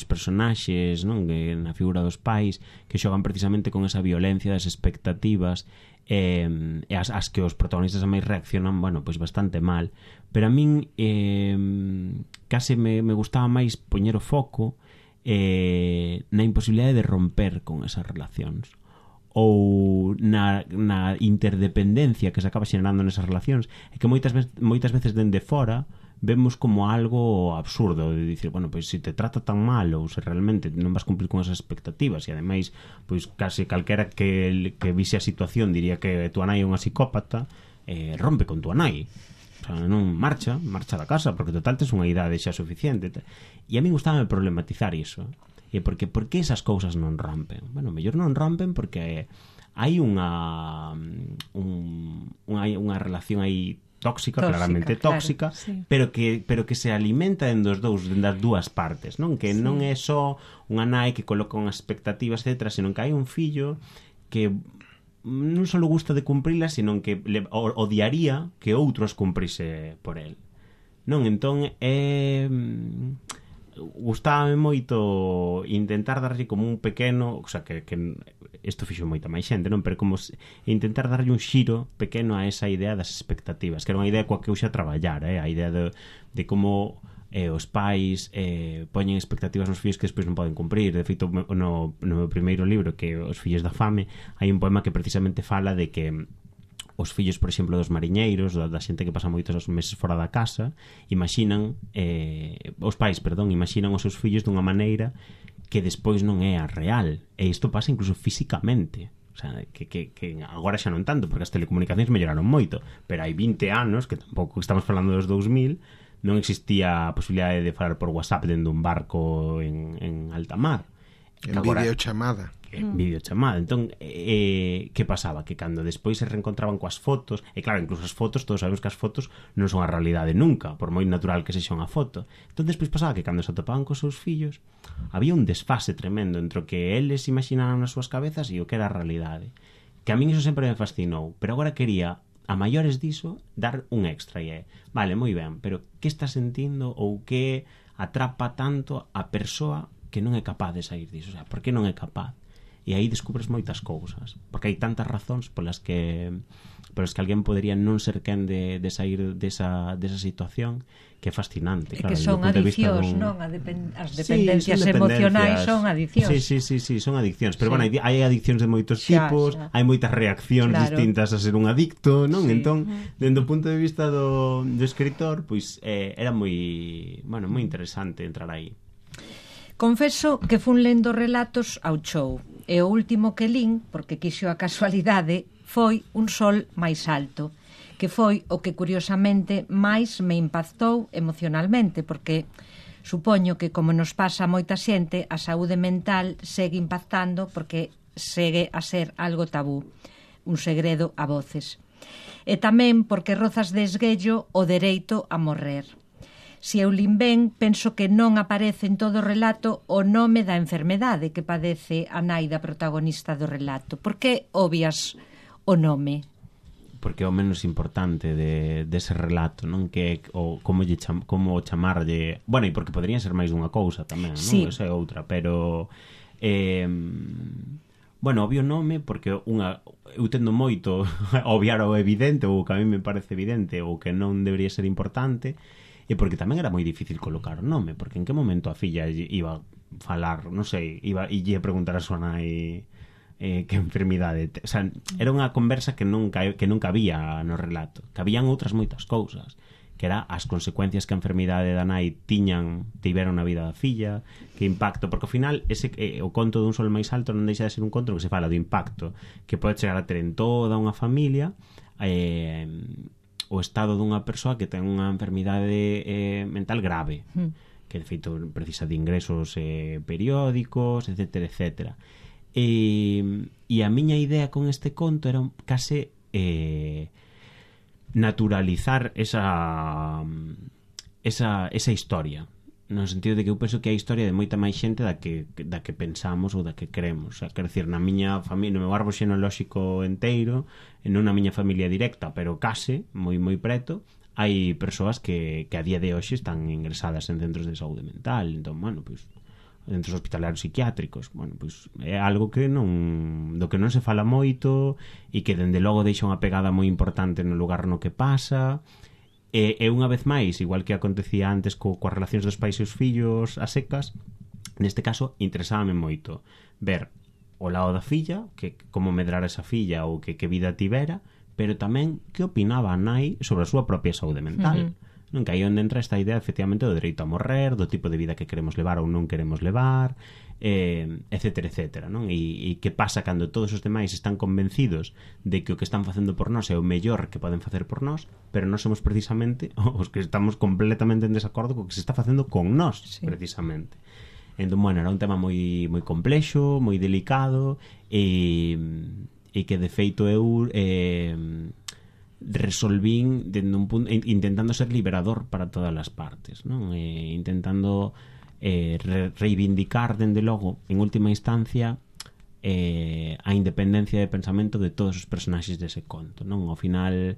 personaxes, non, que na figura dos pais que xogan precisamente con esa violencia das expectativas e as que os protagonistas a máis reaccionan, bueno, pois bastante mal. Pero a min case me gustaba máis poñer o foco na imposibilidade de romper con esas relacións, ou na interdependencia que se acaba xenerando nesas relacións, e que moitas veces dende fora vemos como algo absurdo de dicir, bueno, pois se te trata tan mal ou se realmente non vas cumplir con esas expectativas e ademais, pois case calquera que vise a situación diría que tua nai é unha psicópata, rompe con tua nai, o sea, non marcha da casa porque total tes unha idade xa suficiente e a mí gustaba problematizar iso e por que esas cousas non rompen. Bueno, mellor non rompen porque hai unha relación aí tóxica, claramente tóxica, claro, sí. pero que se alimenta das dúas partes, non? Que sí. Non é só unha nai que coloca unhas expectativas, etc., senón que hai un fillo que non só gusta de cumprilas, senón que odiaría que outros cumprise por el. Non? Entón, gustábame moito intentar darlle como un pequeno, o sea, que isto fixo moita máis xente, non? Pero como intentar darlle un xiro pequeno a esa idea das expectativas, que era unha idea coa que eu xa traballar, a idea de como os pais poñen expectativas nos fillos que despois non poden cumprir. De feito, no meu primeiro libro, que Os fillos da fame, hai un poema que precisamente fala de que os fillos, por exemplo, dos mariñeiros, da xente que pasa moitos meses fora da casa, imaxinan os seus fillos dunha maneira que despois non é a real. E isto pasa incluso físicamente. O sea, que agora xa non tanto, porque as telecomunicacións melloraron moito, pero hai 20 anos, que tampouco estamos falando dos 2000, non existía a posibilidade de falar por WhatsApp dentro dun barco en alta mar. En videochamada. Videochamada. Entón, que pasaba? Que cando despois se reencontraban coas fotos, e claro, incluso as fotos, todos sabemos que as fotos non son a realidade nunca, por moi natural que sexa unha foto. Entón, despois pasaba que cando se atopaban cos seus fillos, había un desfase tremendo entre o que eles imaginaban nas súas cabezas e o que era a realidade. Que a min iso sempre me fascinou, pero agora quería, a maiores diso, dar un extra, e vale, moi ben, pero que está sentindo ou que atrapa tanto a persoa que non é capaz de sair diso? O sea, por que non é capaz? E aí descubres moitas cousas, porque hai tantas razóns polas que alguén podría non ser quen de sair desa situación, que é fascinante. E claro, que son adiccións, non? As dependencias emocionais son adiccións. Sí, son adiccións. Pero, bueno, hai adiccións de moitos tipos, hai moitas reaccións distintas a ser un adicto, non? Entón, dende o punto de vista do escritor, pois era moi interesante entrar aí. Confeso que fun lendo relatos ao chou, e o último que lín, porque quixo a casualidade, foi Un sol máis alto, que foi o que curiosamente máis me impactou emocionalmente, porque supoño que, como nos pasa a moita xente, a saúde mental segue impactando porque segue a ser algo tabú, un segredo a voces. E tamén porque rozas de esguello o dereito a morrer. Se eu lin ben, penso que non aparece en todo o relato o nome da enfermedade que padece a nai da protagonista do relato. Por que obvias o nome? Porque é o menos importante dese relato, non? Que como chamarlle... Bueno, e porque podrían ser máis dunha cousa tamén, non? Sí. Esa é outra, pero... Bueno, obvio nome porque eu tendo moito obviar o evidente, ou que a mí me parece evidente, ou que non debería ser importante. E porque tamén era moi difícil colocar o nome, porque en que momento a filla iba a falar, non sei, iba a preguntar a súa nai que enfermidade. O sea, era unha conversa que non cabía no relato, que habían outras moitas cousas, que era as consecuencias que a enfermidade da nai tiveron na vida da filla, que impacto, porque ao final o conto dun sol máis alto non deixa de ser un conto que se fala do impacto que pode chegar a ter en toda unha familia, o estado dunha persoa que ten unha enfermidade mental grave, que de feito precisa de ingresos periódicos, etc. E a miña idea con este conto era case naturalizar esa historia, no sentido de que eu penso que hai historia de moita máis xente da que pensamos ou da que queremos. O sea, quero dicir, na miña familia, no meu árbol xenealóxico enteiro, non na miña familia directa, pero case, moi preto, hai persoas que a día de hoxe están ingresadas en centros de saúde mental. Entón, bueno, pois, centros hospitalarios psiquiátricos, bueno, pois é algo que do que non se fala moito e que dende logo deixa unha pegada moi importante no lugar no que pasa. E unha vez máis, igual que acontecía antes coas relacións dos pais e os fillos a secas, neste caso interesábame moito ver o lado da filla, que como medrar esa filla ou que vida tivera, pero tamén que opinaba a nai sobre a súa propia saúde mental. non? Que aí onde entra esta idea efectivamente do dereito a morrer, do tipo de vida que queremos levar ou non queremos levar, etcétera, etcétera, non? E que pasa cando todos os demais están convencidos de que o que están facendo por nós é o mellor que poden facer por nós, pero nós somos precisamente os que estamos completamente en desacordo co que se está facendo con nós, precisamente. Entón, bueno, era un tema moi moi complexo, moi delicado, e que de feito eu resolvín dende un punto, intentando ser liberador para todas as partes, non? Intentando reivindicar dende logo en última instancia a independencia de pensamento de todos os personaxes dese conto, non? Ao final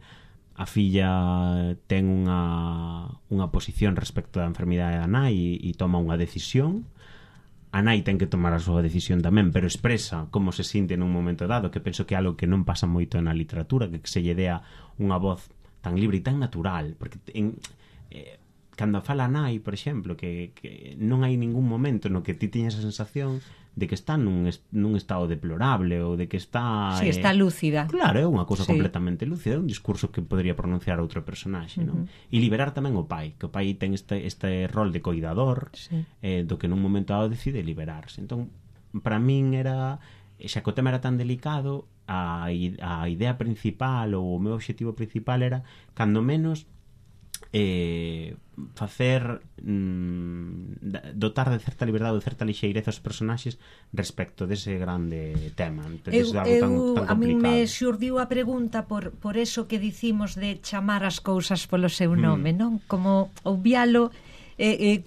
a filla ten unha posición respecto da enfermidade da nai e toma unha decisión. A nai ten que tomar a súa decisión tamén, pero expresa como se sinte nun momento dado, que penso que é algo que non pasa moito na literatura, que se lle dea unha voz tan libre e tan natural, porque cando fala a nai, por exemplo, que non hai ningún momento no que ti teñas a sensación de que está nun estado deplorable ou de que está... Sí, está lúcida. Claro, é unha cousa completamente lúcida, é un discurso que podría pronunciar outro personaxe, non? E liberar tamén o pai, que o pai ten este rol de coidador, do que nun momento dado decide liberarse. Entón, para min era, xa que o tema era tan delicado, a idea principal ou o meu obxectivo principal era, cando menos, facer dotar de certa liberdade ou de certa lixeireza aos personaxes respecto dese grande tema. A mí me xurdiu a pregunta por eso que dicimos de chamar as cousas polo seu nome, non? Como obvialo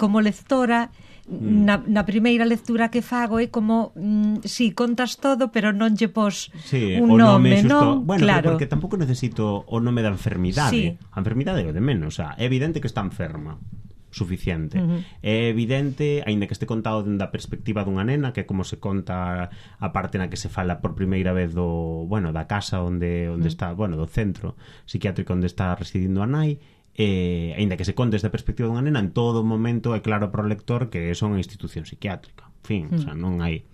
como lectora. Na primeira lectura que fago é como si contas todo, pero non lle pos un nome, non? Bueno, claro, porque tampouco necesito o nome da enfermidade. A enfermidade é o de menos, é evidente que está enferma, suficiente. É evidente, aínda que este contado dende a perspectiva dunha nena, que é como se conta a parte na que se fala por primeira vez da casa onde está, do centro psiquiátrico onde está residindo a nai. Aínda que se conte desde a perspectiva dunha nena, en todo momento é claro para o lector que son a institución psiquiátrica. En fin, o sea, non hai...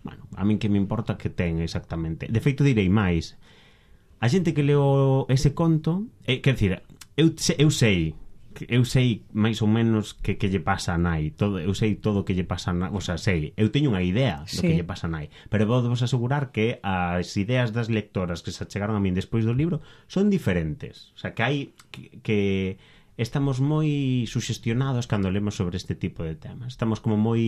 Bueno, a min que me importa que ten exactamente. De feito, direi máis. A xente que leo ese conto, quer dizer, eu sei máis ou menos que lle pasa a nai, eu sei todo o que lle pasa a nai, o sea, eu teño unha idea do que lle pasa a nai, pero vou vos asegurar que as ideas das lectoras que se chegaron a min despois do libro son diferentes, o sea, que hai que estamos moi suxestionados cando lemos sobre este tipo de temas, estamos como moi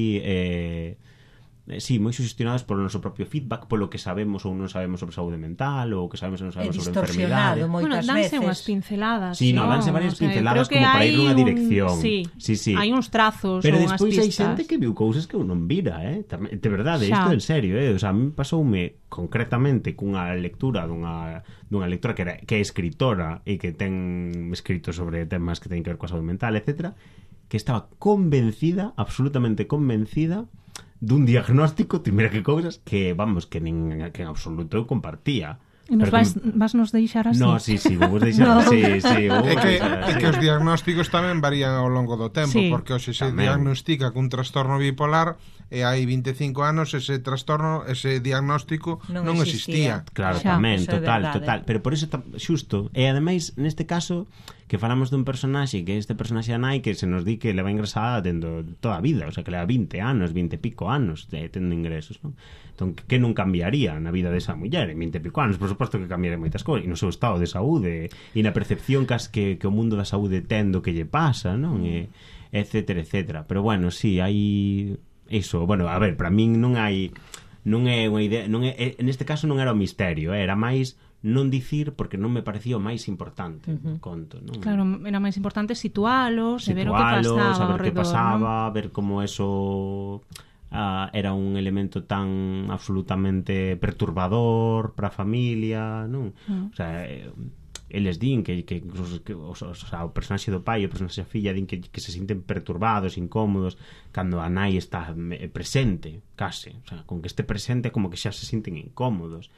moi sugestionados polo noso propio feedback, polo que sabemos ou non sabemos sobre saúde mental, ou que sabemos ou non sabemos sobre enfermidade. Danse unhas pinceladas. Sí, danse varias pinceladas como para ir nunha dirección. Sí. Hai uns trazos pero ou unhas pistas. Pero despois hai xente que viu cousas que eu non vira, de verdade, isto en serio, o sea, a mí pasoume concretamente cunha lectura dunha lectora que é escritora e que ten escrito sobre temas que teñen que ver coa saúde mental, etcétera, que estaba convencida, absolutamente convencida dun diagnóstico, mira que cousas que, vamos, que en absoluto eu compartía. E vas nos deixar así? No, sí, vos deixar así, É que os diagnósticos tamén varían ao longo do tempo, porque hoxe se diagnostica cun trastorno bipolar e hai 25 anos ese trastorno, ese diagnóstico non existía. Claro, tamén, total. Pero por iso, xusto, e ademais, neste caso, que falamos dun personaxe, que este personaxe a nai, que se nos di que leva ingresada tendo toda a vida, o sea, que leva 20 anos, 20 e pico anos tendo ingresos, non? Entón, que non cambiaría na vida desa muller en 20 e pico anos? Por suposto que cambiaría moitas cousas, e no seu estado de saúde, e na percepción que o mundo da saúde ten do que lle pasa, non? Etcétera, etcétera. Pero bueno, sí, hai... Iso, bueno, a ver, para min non é unha idea, en este caso non era o misterio, era máis non dicir porque non me parecía o máis importante o conto, non? Claro, era máis importante situalos e ver o que pasaba, saber o que pasaba, ¿no? Ver como eso era un elemento tan absolutamente perturbador para a familia, non? O sea, eles din que o personaxe do pai e o personaxe da filla din que se sinten perturbados, incómodos cando a nai está presente, case, o sea, con que este presente como que xa se sinten incómodos,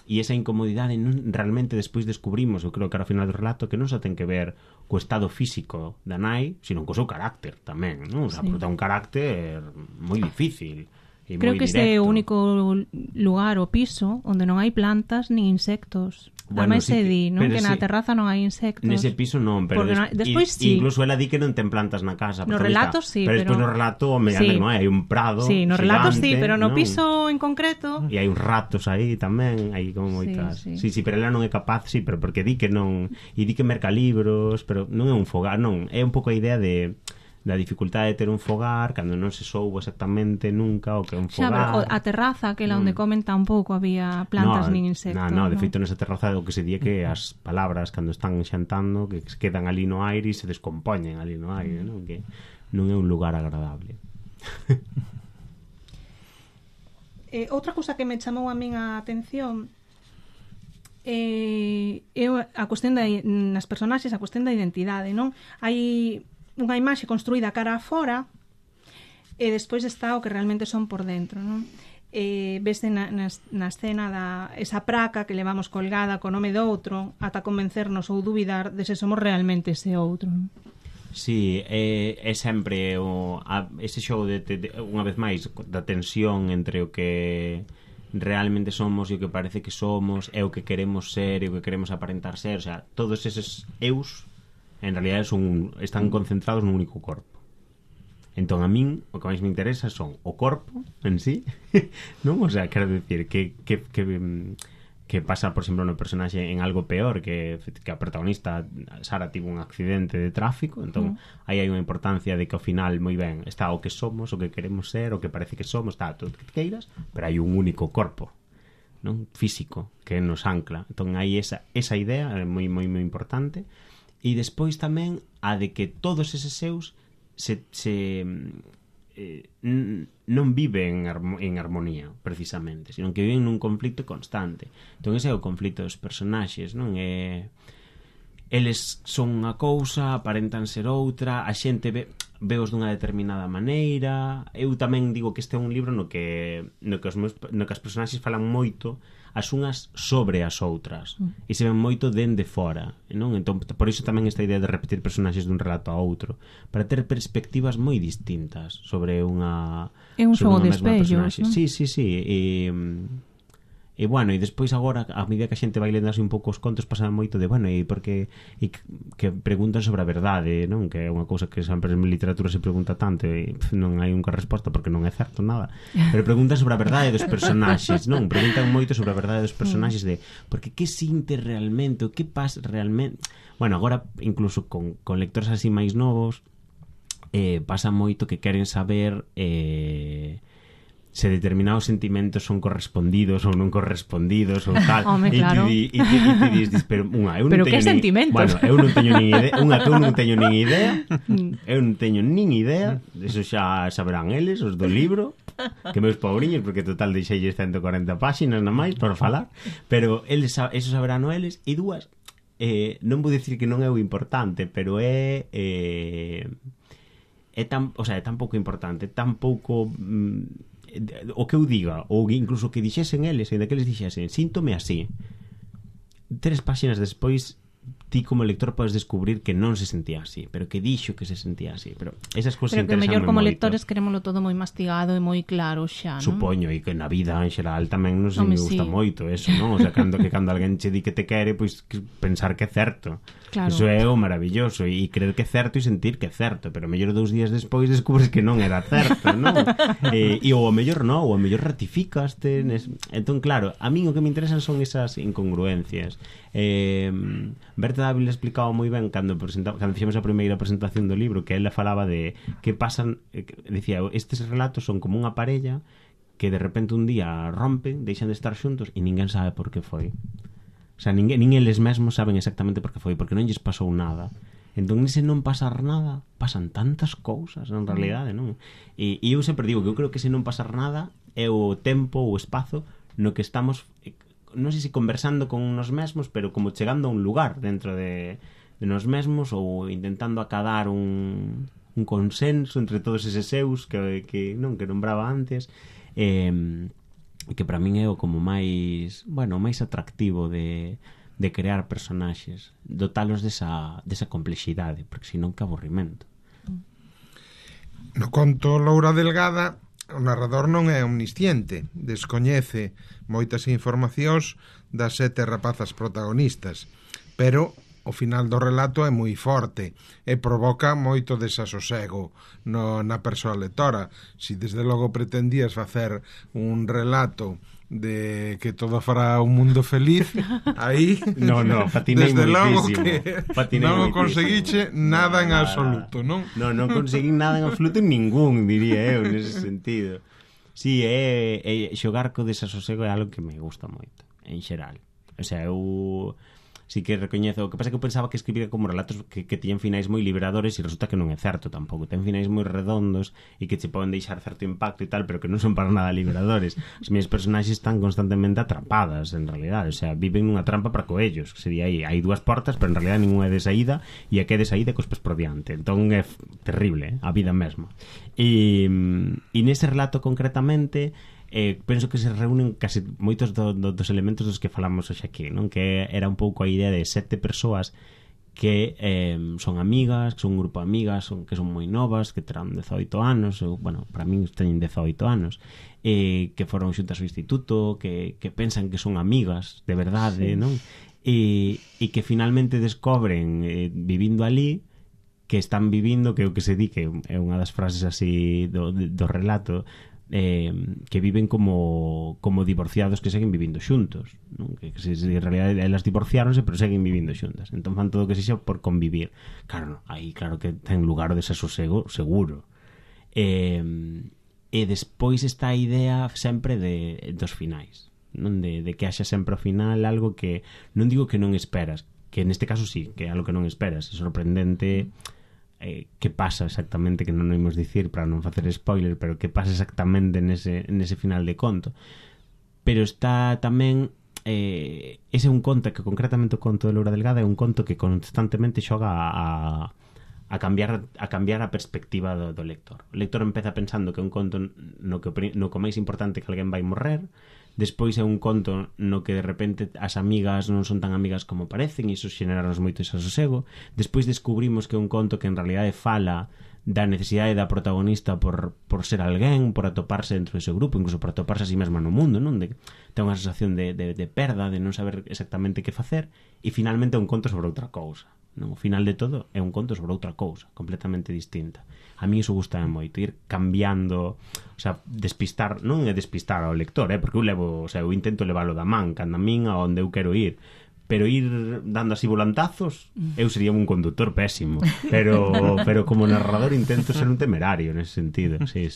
e esa incomodidade non realmente despois descubrimos, eu creo que ao final do relato, que non só ten que ver co estado físico da nai, sino co seu carácter tamén, non? O sea, porque ten un carácter moi difícil Creo que este é o único lugar, o piso, onde non hai plantas nin insectos. Bueno, Ademais sí se di, non? Que na terraza non hai insectos. Nese piso non, pero despois sí. Incluso ela di que non ten plantas na casa. No relato sí, pero despois no relato, sí. Non hai un prado. Sí, no relato sí, pero no non? Piso en concreto. E hai uns ratos aí tamén, hai como moitas. Sí, pero ela non é capaz, sí, pero porque di que non, e di que merca libros, pero non é un fogar, non, é un pouco a idea da dificultade de ter un fogar cando non se soubo exactamente nunca o que é un fogar. Xa, pero a terraza, que é onde comen tampouco había plantas nin insectos. No, de feito nesa terraza o que se di que as palabras cando están xantando que quedan ali no aire e se descompoñen ali no aire, non? Que non é un lugar agradable. Outra cousa que me chamou a min a atención é a cuestión nas personaxes, a cuestión da identidade, non? Hai unha imaxe construída cara a fora e despois está o que realmente son por dentro, non? Vese na escena esa praca que levamos colgada co nome do outro ata convencernos ou dubidar de se somos realmente ese outro, non? Sí, é sempre ese xogo de unha vez máis da tensión entre o que realmente somos e o que parece que somos e o que queremos ser e o que queremos aparentar ser, o sea, todos eses eus en realidad están concentrados nun único corpo. Entón a min o que máis me interesa son o corpo en sí, non? O sea, quero dicir que pasa, por exemplo, no personaxe en algo peor, que a protagonista Sara tivo un accidente de tráfico, entón aí hai unha importancia de que ao final moi ben está o que somos, o que queremos ser, o que parece que somos, está todo o que queiras, pero hai un único corpo, non? Físico que nos ancla. Entón hai esa idea moi moi moi importante. E despois tamén a de que todos eses seus non viven en armonía, precisamente, sino que viven nun conflito constante. Entón ese é o conflito dos personaxes, non? Eles son unha cousa, aparentan ser outra, a xente veos dunha determinada maneira. Eu tamén digo que este é un libro no que as personaxes falan moito as unhas sobre as outras e se ven moito dende fora, non? Entón, por iso tamén esta idea de repetir personaxes dun relato a outro, para ter perspectivas moi distintas sobre unha é un xogo de espellos, non? Sí, e bueno, e despois agora a medida que a xente vai lendo así un pouco os contos pasa moito de, bueno, e porque que preguntan sobre a verdade, non? Que é unha cousa que sempre en literatura se pregunta tanto e non hai unha resposta porque non é certo nada, pero preguntan sobre a verdade dos personaxes, non? Preguntan moito sobre a verdade dos personaxes de porque que sinte realmente, o que pasa realmente. Bueno, agora incluso con lectores así máis novos pasa moito que queren saber se determinados sentimentos son correspondidos ou non correspondidos ou tal. Home, claro. E ti dis, pero eu non pero teño que sentimentos? Bueno, eu non teño nin idea, eu non teño nin idea, eso xa saberán eles, os do libro, que meus pobriños, porque total deixeilles 140 páxinas na máis por falar, pero eles eso saberán eles, e dúas non vou dicir que non é o importante, pero é tan pouco importante, tan pouco o que eu diga, ou incluso que dixesen eles, e daqueles dixesen síntome así, 3 páxinas despois ti como lector podes descubrir que non se sentía así, pero que dixo que se sentía así, pero esas cousas interesan moito. Pero que mellor como moito. lectores querémolo todo moi mastigado e moi claro xa, non? Supoño, e que na vida en xeral tamén non se me gusta moito eso, non? O sea, cando alguén che di que te quere, pois pensar que é certo. Claro. Eso é o maravilloso, e creer que é certo e sentir que é certo, pero mellor 2 días despois descubres que non era certo, non? E ou o mellor non, ou o mellor ratificaste entón claro, a min o que me interesan son esas incongruencias. Berta Dávila explicaba moi ben cando fixemos a primeira presentación do libro, que ela falaba de que pasan, dicía, estes relatos son como unha parella que de repente un día rompen, deixan de estar xuntos e ninguén sabe por que foi. O sea, nin eles mesmos saben exactamente por que foi, porque non lles pasou nada. Entón, nese non pasar nada, pasan tantas cousas, en realidade, non? E eu sempre digo que eu creo que ese non pasar nada é o tempo, o espazo no que estamos, non sei se conversando con nos mesmos, pero como chegando a un lugar dentro de nos mesmos, ou intentando acadar un consenso entre todos eses seus que nombraba antes, que para min é o como máis atractivo de crear personaxes, dotalos desa complexidade, porque senón que aburrimento. No conto Loura Delgada O narrador non é omnisciente, descoñece moitas informacións das 7 rapazas protagonistas, pero o final do relato é moi forte e provoca moito desasosego na persoa lectora. Si desde logo pretendías facer un relato de que todo fará un mundo feliz, aí no, patinei desde logo moitísimo. Que non o conseguiche nada en absoluto, non? Non conseguí nada en absoluto, ningún, diría eu, nese sentido. Sí, xogar co desasosego é algo que me gusta moito, en xeral. O sea, eu sí que recoñezo. O que pasa é que eu pensaba que escribía como relatos que tiñen finais moi liberadores e resulta que non é certo tampouco. Ten finais moi redondos e que che poden deixar certo impacto e tal, pero que non son para nada liberadores. As miñas personaxes están constantemente atrapadas, en realidade. O sea, viven nunha trampa para coellos, que sería aí. Hai 2 portas, pero en realidade ninguna é de saída e a que é de saída cos pés por diante. Entón é terrible, a vida mesma. E nese relato concretamente penso que se reúnen casi moitos dos elementos dos que falamos hoxe aquí, non? Que era un pouco a idea de 7 persoas que son amigas, que son un grupo de amigas, que son moi novas, que terán 18 anos, ou, bueno, para min teñen 18 anos, que foron xuntas ao instituto, que pensan que son amigas de verdade, sí, non? E que finalmente descobren, vivindo ali, que están vivindo, que é o que se di, que é unha das frases así do relato, que viven como divorciados que seguen vivindo xuntos, non? Que en realidad elas divorciáronse pero seguen vivindo xuntas, entón fan todo o que sexa por convivir. Claro, aí claro que ten lugar o desasosego seguro. E despois está a idea sempre dos finais, non? De que haxa sempre ao final algo que non digo que non esperas, que neste caso sí, que é algo que non esperas, é sorprendente. Que pasa exactamente, que non o imos dicir para non facer spoiler, pero que pasa exactamente nese final de conto. Pero está tamén ese é un conto que concretamente o conto de Laura Delgado é un conto que constantemente xoga a cambiar a perspectiva do lector. O lector empeza pensando que é un conto no que máis importante que alguén vai morrer. Despois é un conto no que de repente as amigas non son tan amigas como parecen e iso xeneranos moito desasosego. Despois descubrimos que é un conto que en realidade fala da necesidade da protagonista por ser alguén, por atoparse dentro do seu grupo, incluso por atoparse a si mesma no mundo, non? Ten unha sensación de perda, de non saber exactamente que facer, e finalmente é un conto sobre outra cousa, non? O final de todo é un conto sobre outra cousa completamente distinta. A mí iso gusta moito, ir cambiando, o sea, despistar, non é despistar ao lector, porque eu intento leválo da man, cando a min a onde eu quero ir, pero ir dando así volantazos, eu sería un conductor pésimo, pero como narrador intento ser un temerario nese sentido. Sí.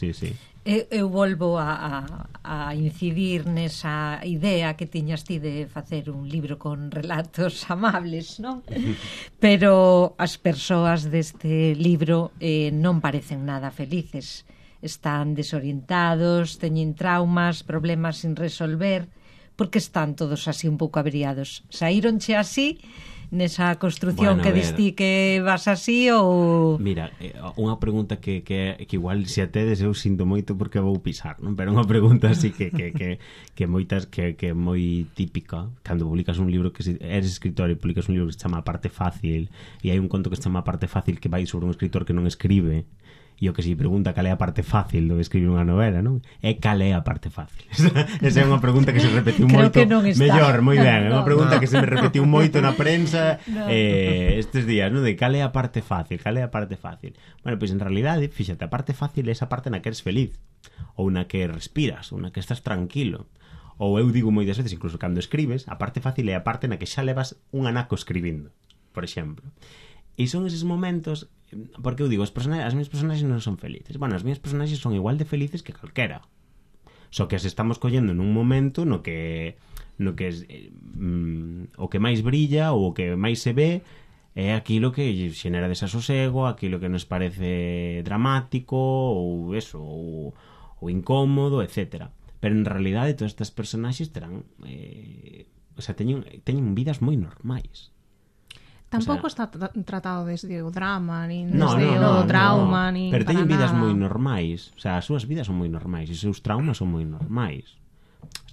Eu volvo a incidir nesa idea que tiñas ti de facer un libro con relatos amables, non? Pero as persoas deste libro non parecen nada felices. Están desorientados, teñen traumas, problemas sin resolver, porque están todos así un pouco averiados. Saíronche así nesa construción, bueno, que distí que vas así ou... Mira, unha pregunta que igual se a tedes eu sinto moito porque vou pisar, non? Pero unha pregunta así que moitas que é moi típica cando publicas un libro, que eres escritor e publicas un libro que se chama A parte fácil, e hai un conto que se chama A parte fácil que vai sobre un escritor que non escribe, e o que se pregunta cal é a parte fácil de escribir unha novela, non? É cal é a parte fácil. Esa é unha pregunta que se repetiu moito. Mellor, moi ben, é unha pregunta que se me repetiu moito na prensa estes días, non? De cal é a parte fácil, cal é a parte fácil. Bueno, pois en realidade, fíxate, a parte fácil é esa parte na que eres feliz, ou na que respiras, ou na que estás tranquilo. Ou eu digo moitas veces, incluso cando escribes, a parte fácil é a parte na que xa levas un anaco escribindo, por exemplo. E son eses momentos, porque eu digo, as minhas personaxes non son felices. Bueno, as minhas personaxes son igual de felices que calquera. Só que as estamos collendo nun momento no que o que máis brilla ou o que máis se ve é aquilo que xenera desasosego, aquilo que nos parece dramático ou eso, ou incómodo, etcétera. Pero en realidade todas estas personaxes terán teñen vidas moi normais. Tampouco está tratado desde o drama, nin desde o trauma, nin pero teñen vidas moi normais. O sea, as súas vidas son moi normais e os seus traumas son moi normais.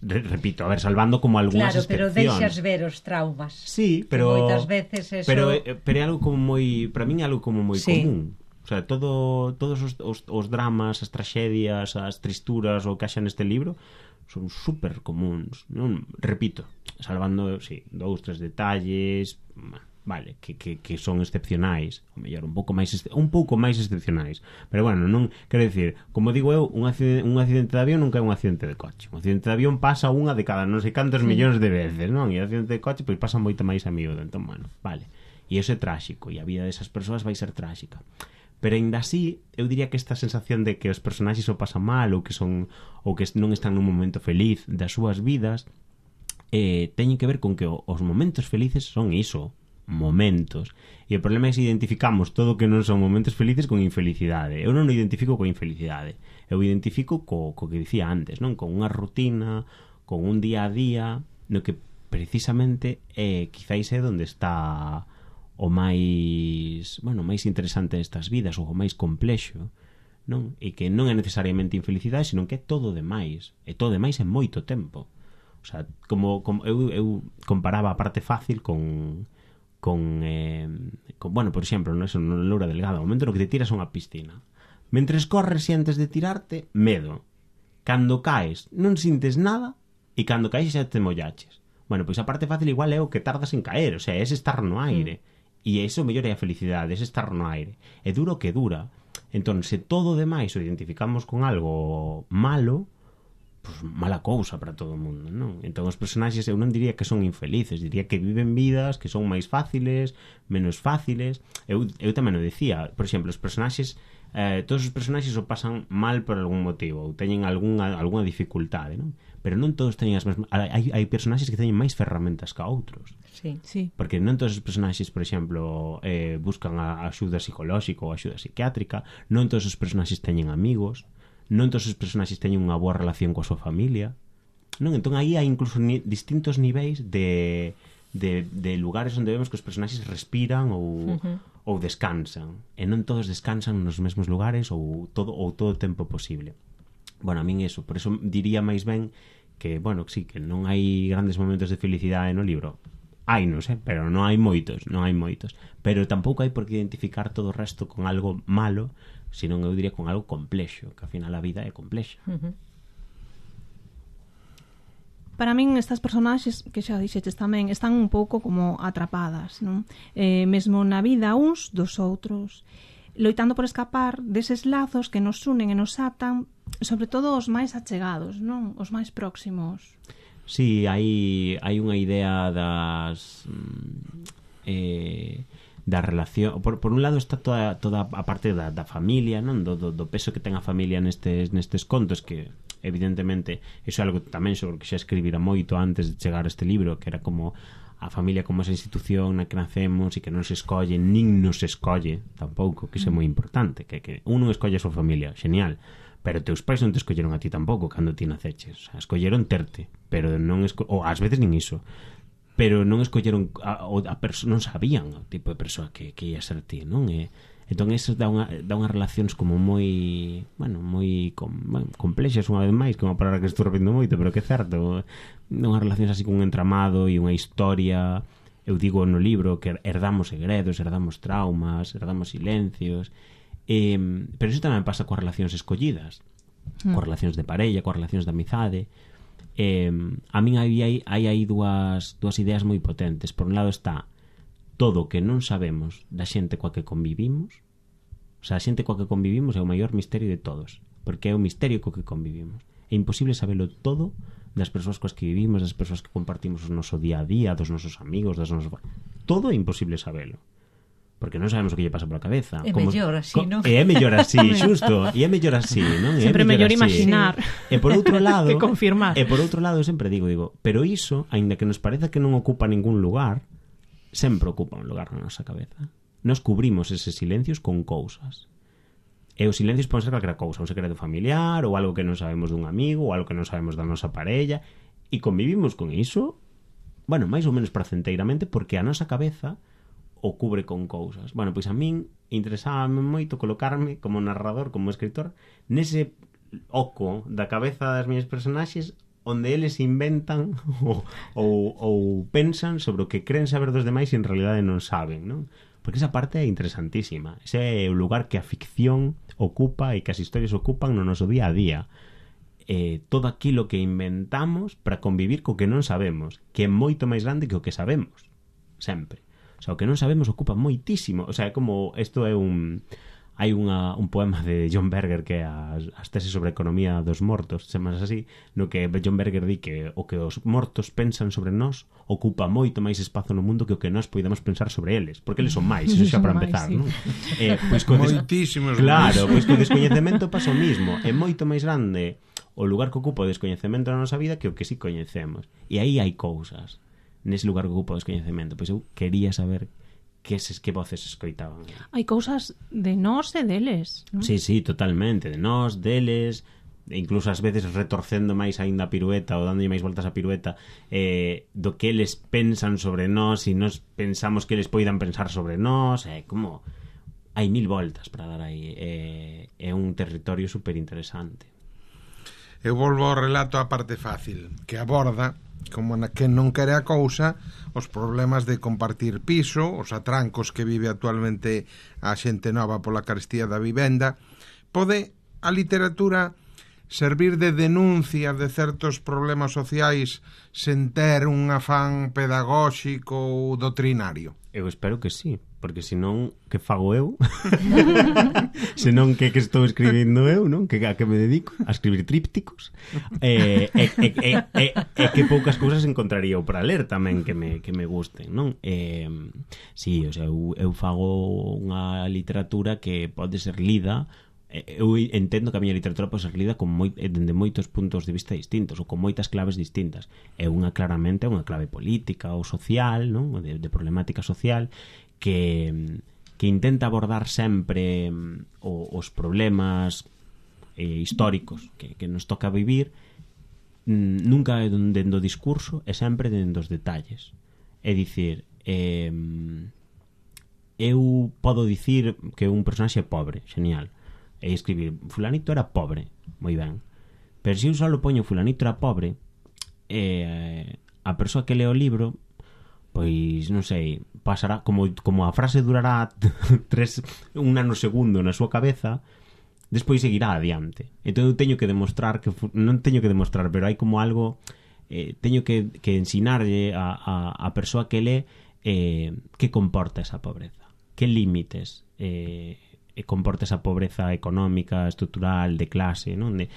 Repito, a ver, salvando como algunhas excepcións. Claro, pero deixas ver os traumas. Sí, pero moitas veces eso... Pero é algo como moi, para min é algo como moi común. O sea, todos os dramas, as tragedias, as tristuras o que haxa neste libro son super comuns, non? Repito, salvando, sí, 2, 3 detalles, vale, que son excepcionais, ou mellor, un pouco máis excepcionais. Pero bueno, non, quero dicir, como digo eu, un accidente de avión nunca é un accidente de coche. Un accidente de avión pasa unha de cada non sei cantos millóns de veces, non? E o accidente de coche pois pasa moito máis a miúdo, entón, bueno, vale. E iso é tráxico, e a vida desas persoas vai ser tráxica. Pero aínda así, eu diría que esta sensación de que os personaxes o pasan mal ou que non están nun momento feliz das súas vidas teñen que ver con que os momentos felices son iso, momentos. E o problema é se identificamos todo o que non son momentos felices con infelicidade. Eu non o identifico con infelicidade. Eu identifico co que dicía antes, non? Con unha rutina, con un día a día, no que precisamente quizáis é onde está o máis interesante destas vidas, ou o máis complexo, non? E que non é necesariamente infelicidade, senón que é todo demais, e todo demais en moito tempo. O sea, como eu comparaba a parte fácil con por exemplo, no Loura Delgado, o momento no que te tiras a unha piscina. Mentres corres e antes de tirarte, medo. Cando caes, non sintes nada, e cando caes xa te mollaches. Bueno, pois a parte fácil igual é o que tardas en caer, o sea, é estar no aire. E iso mellor é a felicidade, é estar no aire. É duro que dura. Entón, se todo o demais o identificamos con algo malo, pues mala cousa para todo o mundo, non? Entón, os personaxes eu non diría que son infelices, diría que viven vidas que son máis fáciles, menos fáciles. Eu tamén o decía, por exemplo, os personaxes, todos os personaxes o pasan mal por algún motivo, ou teñen algunha dificultade, non? Pero non todos teñen as mesmas... Hai personaxes que teñen máis ferramentas que outros. Sí. Porque non todos os personaxes, por exemplo, buscan a axuda psicolóxica ou a axuda psiquiátrica, non todos os personaxes teñen amigos, non todos os personaxes teñen unha boa relación coa súa familia, non? Entón aí hai incluso distintos niveis de lugares onde vemos que os personaxes respiran ou descansan, e non todos descansan nos mesmos lugares ou todo o tempo posible. Bueno, a min eso, por eso diría máis ben que, bueno, sí, que non hai grandes momentos de felicidade no libro. Hai, non sei, pero non hai moitos. Pero tampouco hai por que identificar todo o resto con algo malo, senón eu diría con algo complexo, que ao final a vida é complexa. Para min estas personaxes, que xa dixetes tamén, están un pouco como atrapadas, non? Mesmo na vida uns dos outros, loitando por escapar deses lazos que nos unen e nos atan, sobre todo os máis achegados, non? Os máis próximos. Sí, hai unha idea das da relación. Por un lado está toda a parte da familia, non? Do peso que ten a familia nestes contos, que evidentemente iso é algo tamén sobre o que xa escribira moito antes de chegar a este libro, que era como a familia como esa institución na que nacemos e que non se escolle, nin nos escolle tampouco, que iso é moi importante, que un non escolle a súa familia, genial, pero teus pais non te escolleron a ti tampouco cando ti naceches, o sea, escolleron terte, pero non ou ás veces nin iso, pero non escolleron non sabían o tipo de persoa que ia ser ti, non? Entón eso dá unhas relacións como moi complexas, unha vez máis, que é unha palabra que estou repetindo moito, pero que é certo, unhas relacións así con un entramado e unha historia. Eu digo no libro que herdamos segredos, herdamos traumas, herdamos silencios, pero iso tamén pasa coas relacións escollidas, coas relacións de parella, coas relacións de amizade. A min hai aí dúas ideas moi potentes. Por un lado está todo o que non sabemos da xente coa que convivimos. O sea, a xente coa que convivimos é o maior misterio de todos, porque é o misterio co que convivimos. É imposible sabelo todo das persoas coas que vivimos, das persoas que compartimos o noso día a día, dos nosos amigos, das nosos... Todo é imposible sabelo, porque non sabemos o que lle pasa pola cabeza. É mellor así, non? É mellor así, xusto. E é mellor así, non? Sempre mellor imaginar e por outro lado, que confirmar. E por outro lado, eu sempre digo, pero iso, aínda que nos pareza que non ocupa ningún lugar, sempre ocupa un lugar na nosa cabeza. Nos cubrimos eses silencios con cousas. E os silencios poden ser calquera cousa, un secreto familiar, ou algo que non sabemos dun amigo, ou algo que non sabemos da nosa parella, e convivimos con iso, bueno, máis ou menos placenteiramente, porque a nosa cabeza o cubre con cousas. Bueno, pois a min interesábame moito colocarme como narrador, como escritor, nese oco da cabeza das miñas personaxes, onde eles inventan ou pensan sobre o que creen saber dos demais e en realidade non saben, non? porque esa parte é interesantísima. Ese é o lugar que a ficción ocupa e que as historias ocupan no noso día a día. Todo aquilo que inventamos para convivir co que non sabemos, que é moito máis grande que o que sabemos, sempre. O sea, o que non sabemos ocupa moitísimo. O sea, é como, isto é hai un poema de John Berger que é as teses sobre a economía dos mortos, chamas así, no que John Berger di que o que os mortos pensan sobre nós ocupa moito máis espazo no mundo que o que nós poidamos pensar sobre eles, porque eles son máis, iso xa para empezar, sí. non? Pois Moitísimos claro, pois co descoñecemento pasa o mismo, é moito máis grande o lugar que ocupa o descoñecemento na nosa vida que o que si coñecemos, e aí hai cousas nese lugar que ocupa o descoñecemento. Pois eu quería saber que voces escoitaban. Hai cousas de nós e deles, non? Sí, totalmente, de nós, deles, incluso ás veces retorcendo máis aínda a pirueta ou dándolle máis voltas a pirueta, do que eles pensan sobre nós e nós pensamos que eles poidan pensar sobre nós, como hai 1000 voltas para dar aí, é un territorio super interesante. Eu volvo ao relato á parte fácil, que aborda, como na que non quere a cousa, os problemas de compartir piso, os atrancos que vive actualmente a xente nova pola carestía da vivenda. Pode a literatura servir de denuncia de certos problemas sociais sen ter un afán pedagóxico ou doutrinario? Eu espero que sí, porque senón que fago eu? Senón que estou escribindo eu, non? Que a que me dedico a escribir trípticos. Que poucas cousas encontraría eu para ler tamén que me gusten, non? Sí, o sea, eu fago unha literatura que pode ser lida. Eu entendo que a miña literatura pode ser lida dende moitos puntos de vista distintos ou con moitas claves distintas. Claramente é unha clave política ou social, non? De problemática social que intenta abordar sempre os problemas históricos que nos toca vivir, nunca dentro do discurso e sempre dentro dos detalles. É dicir, eu podo dicir que un personaxe é pobre, genial, e escribir fulanito era pobre, moi ben, pero se eu só poño fulanito era pobre, a persoa que lee o libro, pois non sei, pasará como a frase durará un nanosegundo na súa cabeza, despois seguirá adiante. Entón eu teño que demostrar non teño que demostrar, pero hai como algo, teño que ensinarlle a persoa que lee que comporta esa pobreza, que límites comporta esa pobreza económica, estrutural, de clase, non? E,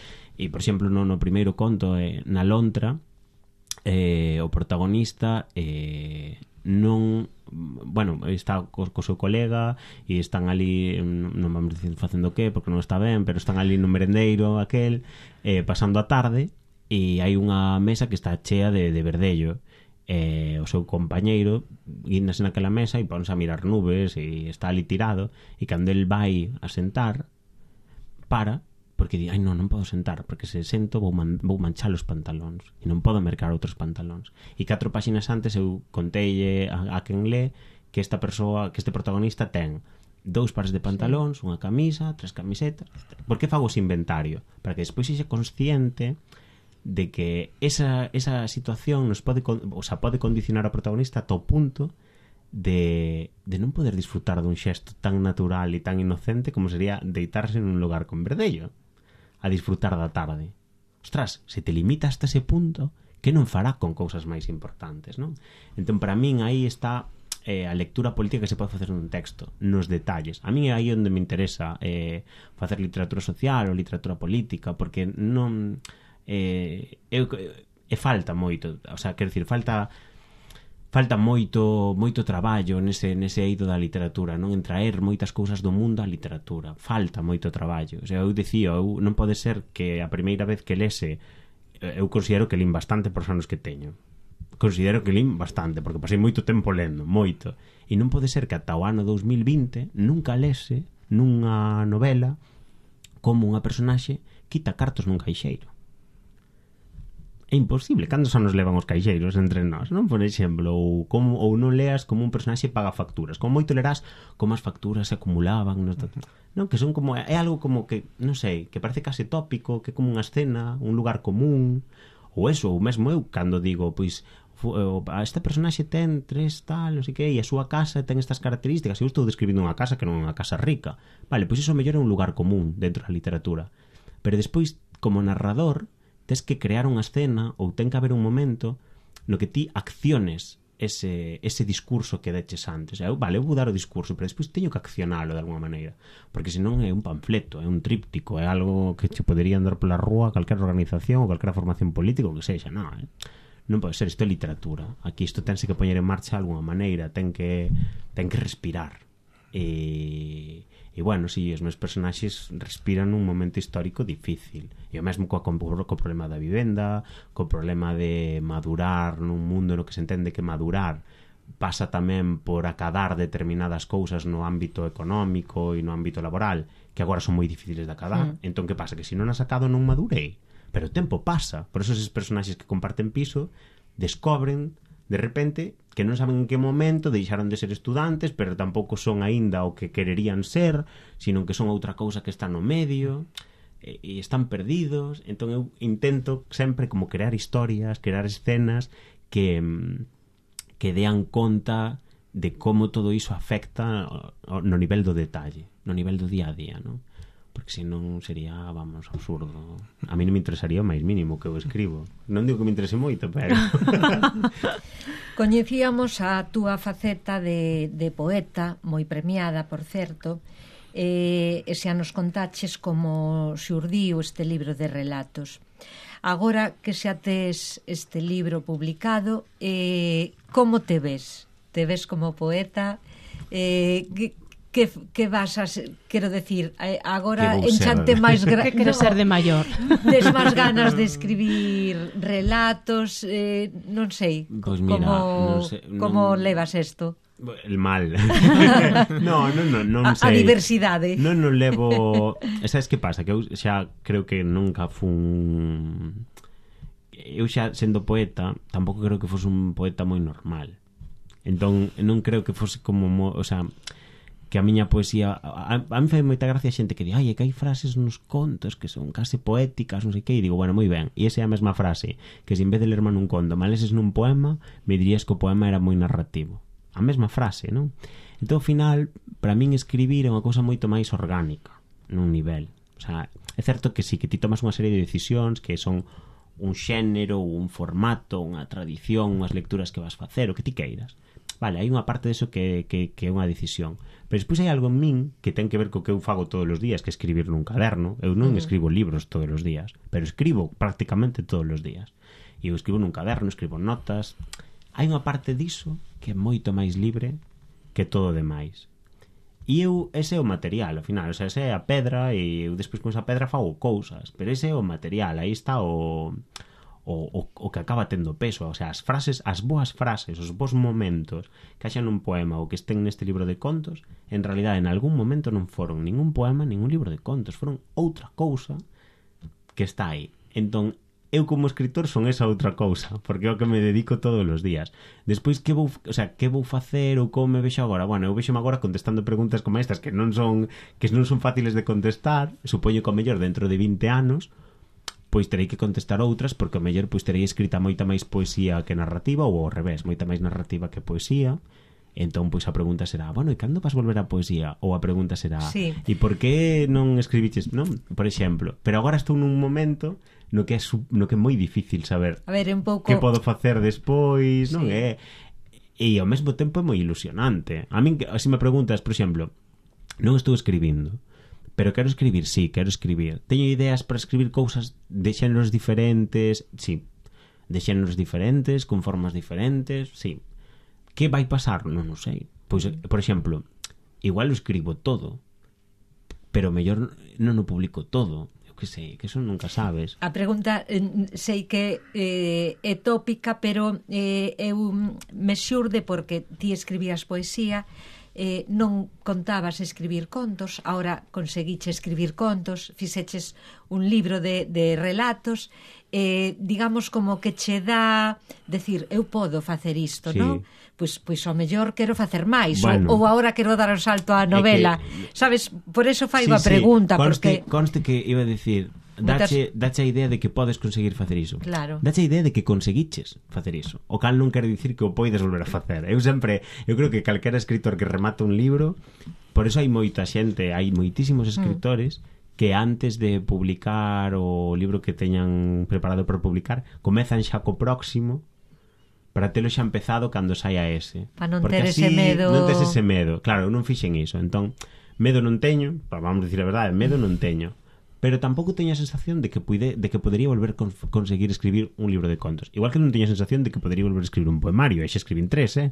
por exemplo, no primeiro conto, na lontra, o protagonista non... Bueno, está co seu colega e están ali, non vamos dicir facendo que, porque non está ben, pero están ali no merendeiro aquel, pasando a tarde, e hai unha mesa que está chea de verdello. O seu compañeiro guíndase naquela mesa e ponse a mirar nubes e está ali tirado, e cando el vai a sentar porque di, non podo sentar porque se sento vou manchar os pantalóns e non podo mercar outros pantalóns. E 4 páxinas antes eu conteille a quen lé que esta persoa, que este protagonista ten 2 pares de pantalóns, unha camisa, 3 camisetas. Por que fago ese inventario? Para que despois sexa consciente de que esa situación pode condicionar ao protagonista ata o punto de non poder disfrutar dun xesto tan natural e tan inocente como sería deitarse nun lugar con verdello a disfrutar da tarde. Ostras, se te limita hasta ese punto, que non fará con cousas máis importantes, non? Entón, para min, aí está a lectura política que se pode facer nun texto, nos detalles. A mí é aí onde me interesa facer literatura social ou literatura política, porque non... falta moito, o sea, quero dicir, falta moito traballo nese eido da literatura, non? En traer moitas cousas do mundo á literatura, falta moito traballo. O sea, eu dicía, non pode ser que a primeira vez que lese, eu considero que lín bastante por os anos que teño, considero que lín bastante, porque pasei moito tempo lendo, moito, e non pode ser que ata o ano 2020 nunca lese nunha novela como unha personaxe quita cartos nun caixeiro. É imposible. Cantos anos levan os caixeiros entre nós, non? Por exemplo, ou non leas como un personaxe paga facturas, como moito lerás como as facturas se acumulaban non, que son como, é algo como que, non sei, que parece case tópico, que é como unha escena, un lugar común, ou eso, ou mesmo eu cando digo, pois esta personaxe ten 3 tal, non sei que, e a súa casa ten estas características. Eu estou describindo unha casa que non é unha casa rica. Vale, pois iso mellor é un lugar común dentro da literatura. Pero despois, como narrador, tes que crear unha escena ou ten que haber un momento no que ti acciones ese discurso que deches antes. Eu vou dar o discurso, pero despois teño que accionalo de alguma maneira, porque senón é un panfleto, é un tríptico, é algo que che podería andar pola rúa calquera organización ou calquera formación política ou que sexa. Non pode ser, isto é literatura. Aquí isto tense que poñer en marcha de alguma maneira, ten que respirar. E bueno, si, os meus personaxes respiran un momento histórico difícil. E o mesmo co problema da vivenda, co problema de madurar nun mundo no que se entende que madurar pasa tamén por acadar determinadas cousas no ámbito económico e no ámbito laboral, que agora son moi difíciles de acadar. Entón, que pasa? Que se non has acado non madurei. Pero o tempo pasa. Por eso esos personaxes que comparten piso descobren de repente que non saben en que momento deixaron de ser estudantes, pero tampouco son aínda o que quererían ser, sino que son outra cousa que está no medio, e están perdidos. Entón eu intento sempre como crear historias, crear escenas que dean conta de como todo iso afecta no nivel do detalle, no nivel do día a día, non? Porque senón sería, vamos, absurdo. A mí non me interesaría o máis mínimo que eu escribo. Non digo que me interese moito, pero... Coñecíamos a túa faceta de poeta, moi premiada, por certo, e xa nos contaches como xurdiu este libro de relatos. Agora que xa tes este libro publicado, como te ves? Te ves como poeta? Que vas a quero decir, agora enchante máis que quero ser de maior. Tes máis ganas de escribir relatos, non sei, pues mira, non sei, como levas isto? El mal. non sei. A diversidade. Non levo, sabes que pasa? Que eu xa creo que nunca fun eu xa sendo poeta, tampouco creo que fose un poeta moi normal. Entón non creo que fose como, o sea, que a miña poesía a mí fai moita gracia a xente que di, ai, é que hai frases nos contos que son case poéticas, non sei que, e digo, bueno, moi ben, e esa é a mesma frase que se en vez de lerma nun conto, me leses nun poema, me dirías que o poema era moi narrativo. A mesma frase, non? Entón, ao final, para min escribir é unha cousa moito máis orgánica nun nivel. O sea, é certo que sí, que ti tomas unha serie de decisións que son un xénero, un formato, unha tradición, unhas lecturas que vas facer, o que ti queiras. Vale, hai unha parte deso que é unha decisión. Pero despois hai algo en min que ten que ver co que eu fago todos os días, que é escribir nun caderno. Eu non escribo libros todos os días, pero escribo prácticamente todos os días. E eu escribo nun caderno, escribo notas. Hai unha parte diso que é moito máis libre que todo o demais. E eu, ese é o material, ao final. O sea, ese é a pedra, e eu despois con esa pedra fago cousas. Pero ese é o material, aí está o que acaba tendo peso. O sea, as frases, as boas frases, os bons momentos que haxan un poema ou que estén neste libro de contos, en realidad en algún momento non foron ningún poema, ningún libro de contos, foron outra cousa que está aí. Entón, eu como escritor son esa outra cousa, porque é o que me dedico todos os días. Despois, que vou facer ou como me vexo agora? Bueno, eu vexome agora contestando preguntas como estas que non son fáciles de contestar. Supoño que o mellor dentro de 20 anos pois terei que contestar outras, porque o mellor pois terei escrita moita máis poesía que narrativa, ou ao revés, moita máis narrativa que poesía. Entón, pois a pregunta será, bueno, e cando vas volver a poesía? Ou a pregunta será, sí, e por que non escribiches, non? Por exemplo, pero agora estou nun momento no que é moi difícil saber a ver, un pouco que podo facer despois, non sí. E ao mesmo tempo é moi ilusionante. A min, se me preguntas, por exemplo, non estou escribindo, pero quero escribir, sí, quero escribir. Teño ideas para escribir cousas de xéneros diferentes, sí, de xéneros diferentes, con formas diferentes, sí. Que vai pasar? Non o sei. Pois, por exemplo, igual o escribo todo, pero mellor non o publico todo. Eu que sei, que eso nunca sabes. A pregunta, sei que é tópica, pero eu me xurde porque ti escribías poesía, non contabas escribir contos, ahora conseguiche escribir contos, fixeches un libro de relatos, digamos como que che dá decir, eu podo facer isto, Sí. non? Pois ao mellor quero facer máis, Bueno. ou agora quero dar o salto á novela. Sabes, por eso fai a pregunta, porque Conste que iba a decir, dache a idea de que podes conseguir facer iso. Claro. Dache a idea de que conseguiches facer iso. O cal non quere dicir que o poides volver a facer. Eu creo que calquera escritor que remata un libro, por eso hai moita xente, hai moitísimos escritores que antes de publicar o libro que teñan preparado para publicar, comezan xa co próximo para telo xa empezado cando saia ese. Para non Porque ter así ese medo. Non tes ese medo. Claro, eu non fixen iso. Entón, medo non teño, vamos dicir a verdade, medo non teño. Pero tampouco teño a sensación de que podería volver conseguir escribir un libro de contos. Igual que non teño a sensación de que podería volver a escribir un poemario. E xa escribín 3,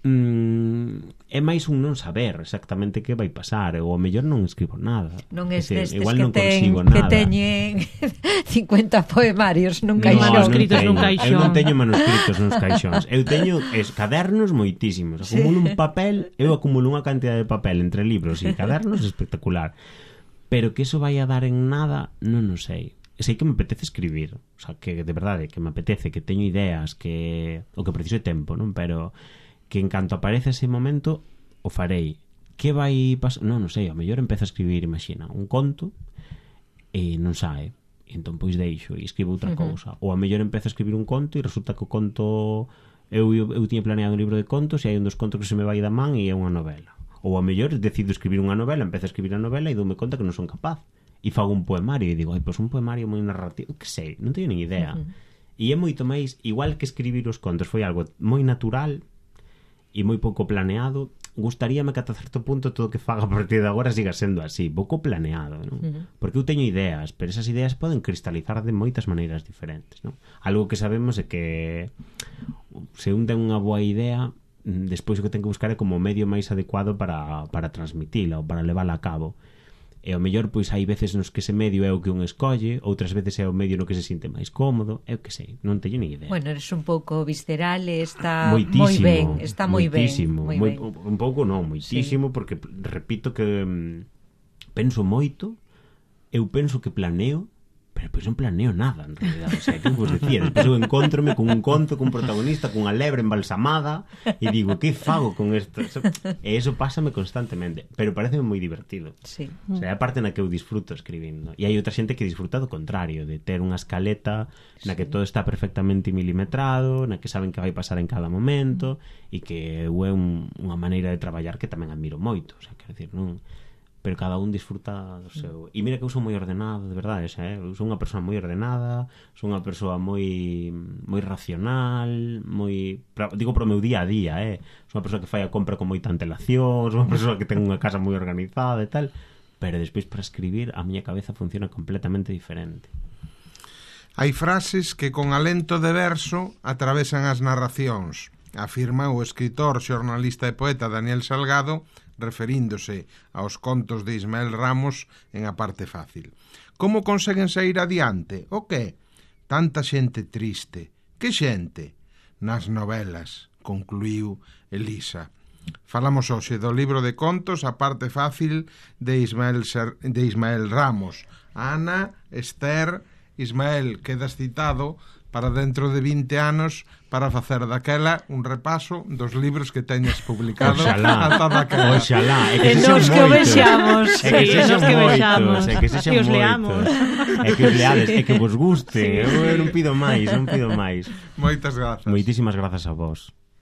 é máis un non saber exactamente que vai pasar, ou ao mellor non escribo nada. non é destes igual que, non consigo nada. que teñen 50 poemarios nun No, caixón. Manuscritos nun Eu caixón. non teño manuscritos nos caixóns. Eu teño cadernos moitísimos. Acumulo un papel, eu acumulo unha cantidad de papel entre libros e cadernos espectacular. Pero que eso vai a dar en nada, non o sei. Sei que me apetece escribir, o sea, que de verdade, que me apetece, que teño ideas, que o que preciso é tempo, non? Pero que en canto aparece ese momento o farei. Que vai pasar? Non sei, ao mellor empezo a escribir, imagina, un conto e non sae. E entón pois deixo e escribo outra cousa. Ou ao mellor empezo a escribir un conto e resulta que o conto eu tiña planeado un libro de contos e hai un dos contos que se me vai da man e é unha novela. Ou ao mellor decido escribir unha novela, empezo a escribir a novela e doume conta que non son capaz. E fago un poemario e digo, pois un poemario moi narrativo, que sei, non teño nin idea. E é moito máis, igual que escribir os contos foi algo moi natural e moi pouco planeado, gustaríame que ata certo punto todo o que faga a partir de agora siga sendo así, pouco planeado, non? Porque eu teño ideas, pero esas ideas poden cristalizar de moitas maneiras diferentes, non? Algo que sabemos é que se un ten unha boa idea, despois o que ten que buscar é como o medio máis adecuado para transmitila ou para levala a cabo. E ao mellor pois hai veces nos que ese medio é o que un escolle, outras veces é o medio no que se sinte máis cómodo, eu que sei, non teño ni idea. Bueno, eres un pouco visceral e está Moitísimo, moi ben, está moi ben. Un pouco non, moitísimo, sí. Porque repito que penso moito, eu penso que planeo, pero pois non planeo nada en realidad, o sea, que vos decía, despois eu encontrome con un conto, cun protagonista, cunha lebre embalsamada e digo, que fago con isto? E eso pásame constantemente, pero pareceme moi divertido. Sí. O sea, é a parte na que eu disfruto escribindo. E hai outra xente que disfruta do contrario, de ter unha escaleta na que todo está perfectamente milimetrado, na que saben que vai pasar en cada momento e que é unha maneira de traballar que tamén admiro moito, o sea, quero dicir, non... pero cada un disfruta do seu. E mira que eu sou moi ordenado, de verdade, eu sou unha persoa moi ordenada, sou unha persoa moi racional, digo pro meu día a día, sou unha persoa que fai a compra con moita antelación, sou unha persoa que ten unha casa moi organizada e tal, pero despois para escribir a miña cabeza funciona completamente diferente. Hai frases que con alento de verso atravesan as narracións, afirma o escritor, xornalista e poeta Daniel Salgado, referíndose aos contos de Ismael Ramos en A parte fácil. Como conseguen sair adiante? O que? Tanta xente triste. Que xente? Nas novelas, concluiu Elisa. Falamos hoxe do libro de contos A parte fácil de Ismael Ramos. Ana, Esther, Ismael, quedas citado para dentro de 20 anos para facer daquela un repaso dos libros que teñas publicado ata daquela. Oxalá, e nos que o vexamos, e que os leamos, e que os leades, e que vos guste. Eu non pido máis. Moitas grazas. Moitísimas grazas a vos.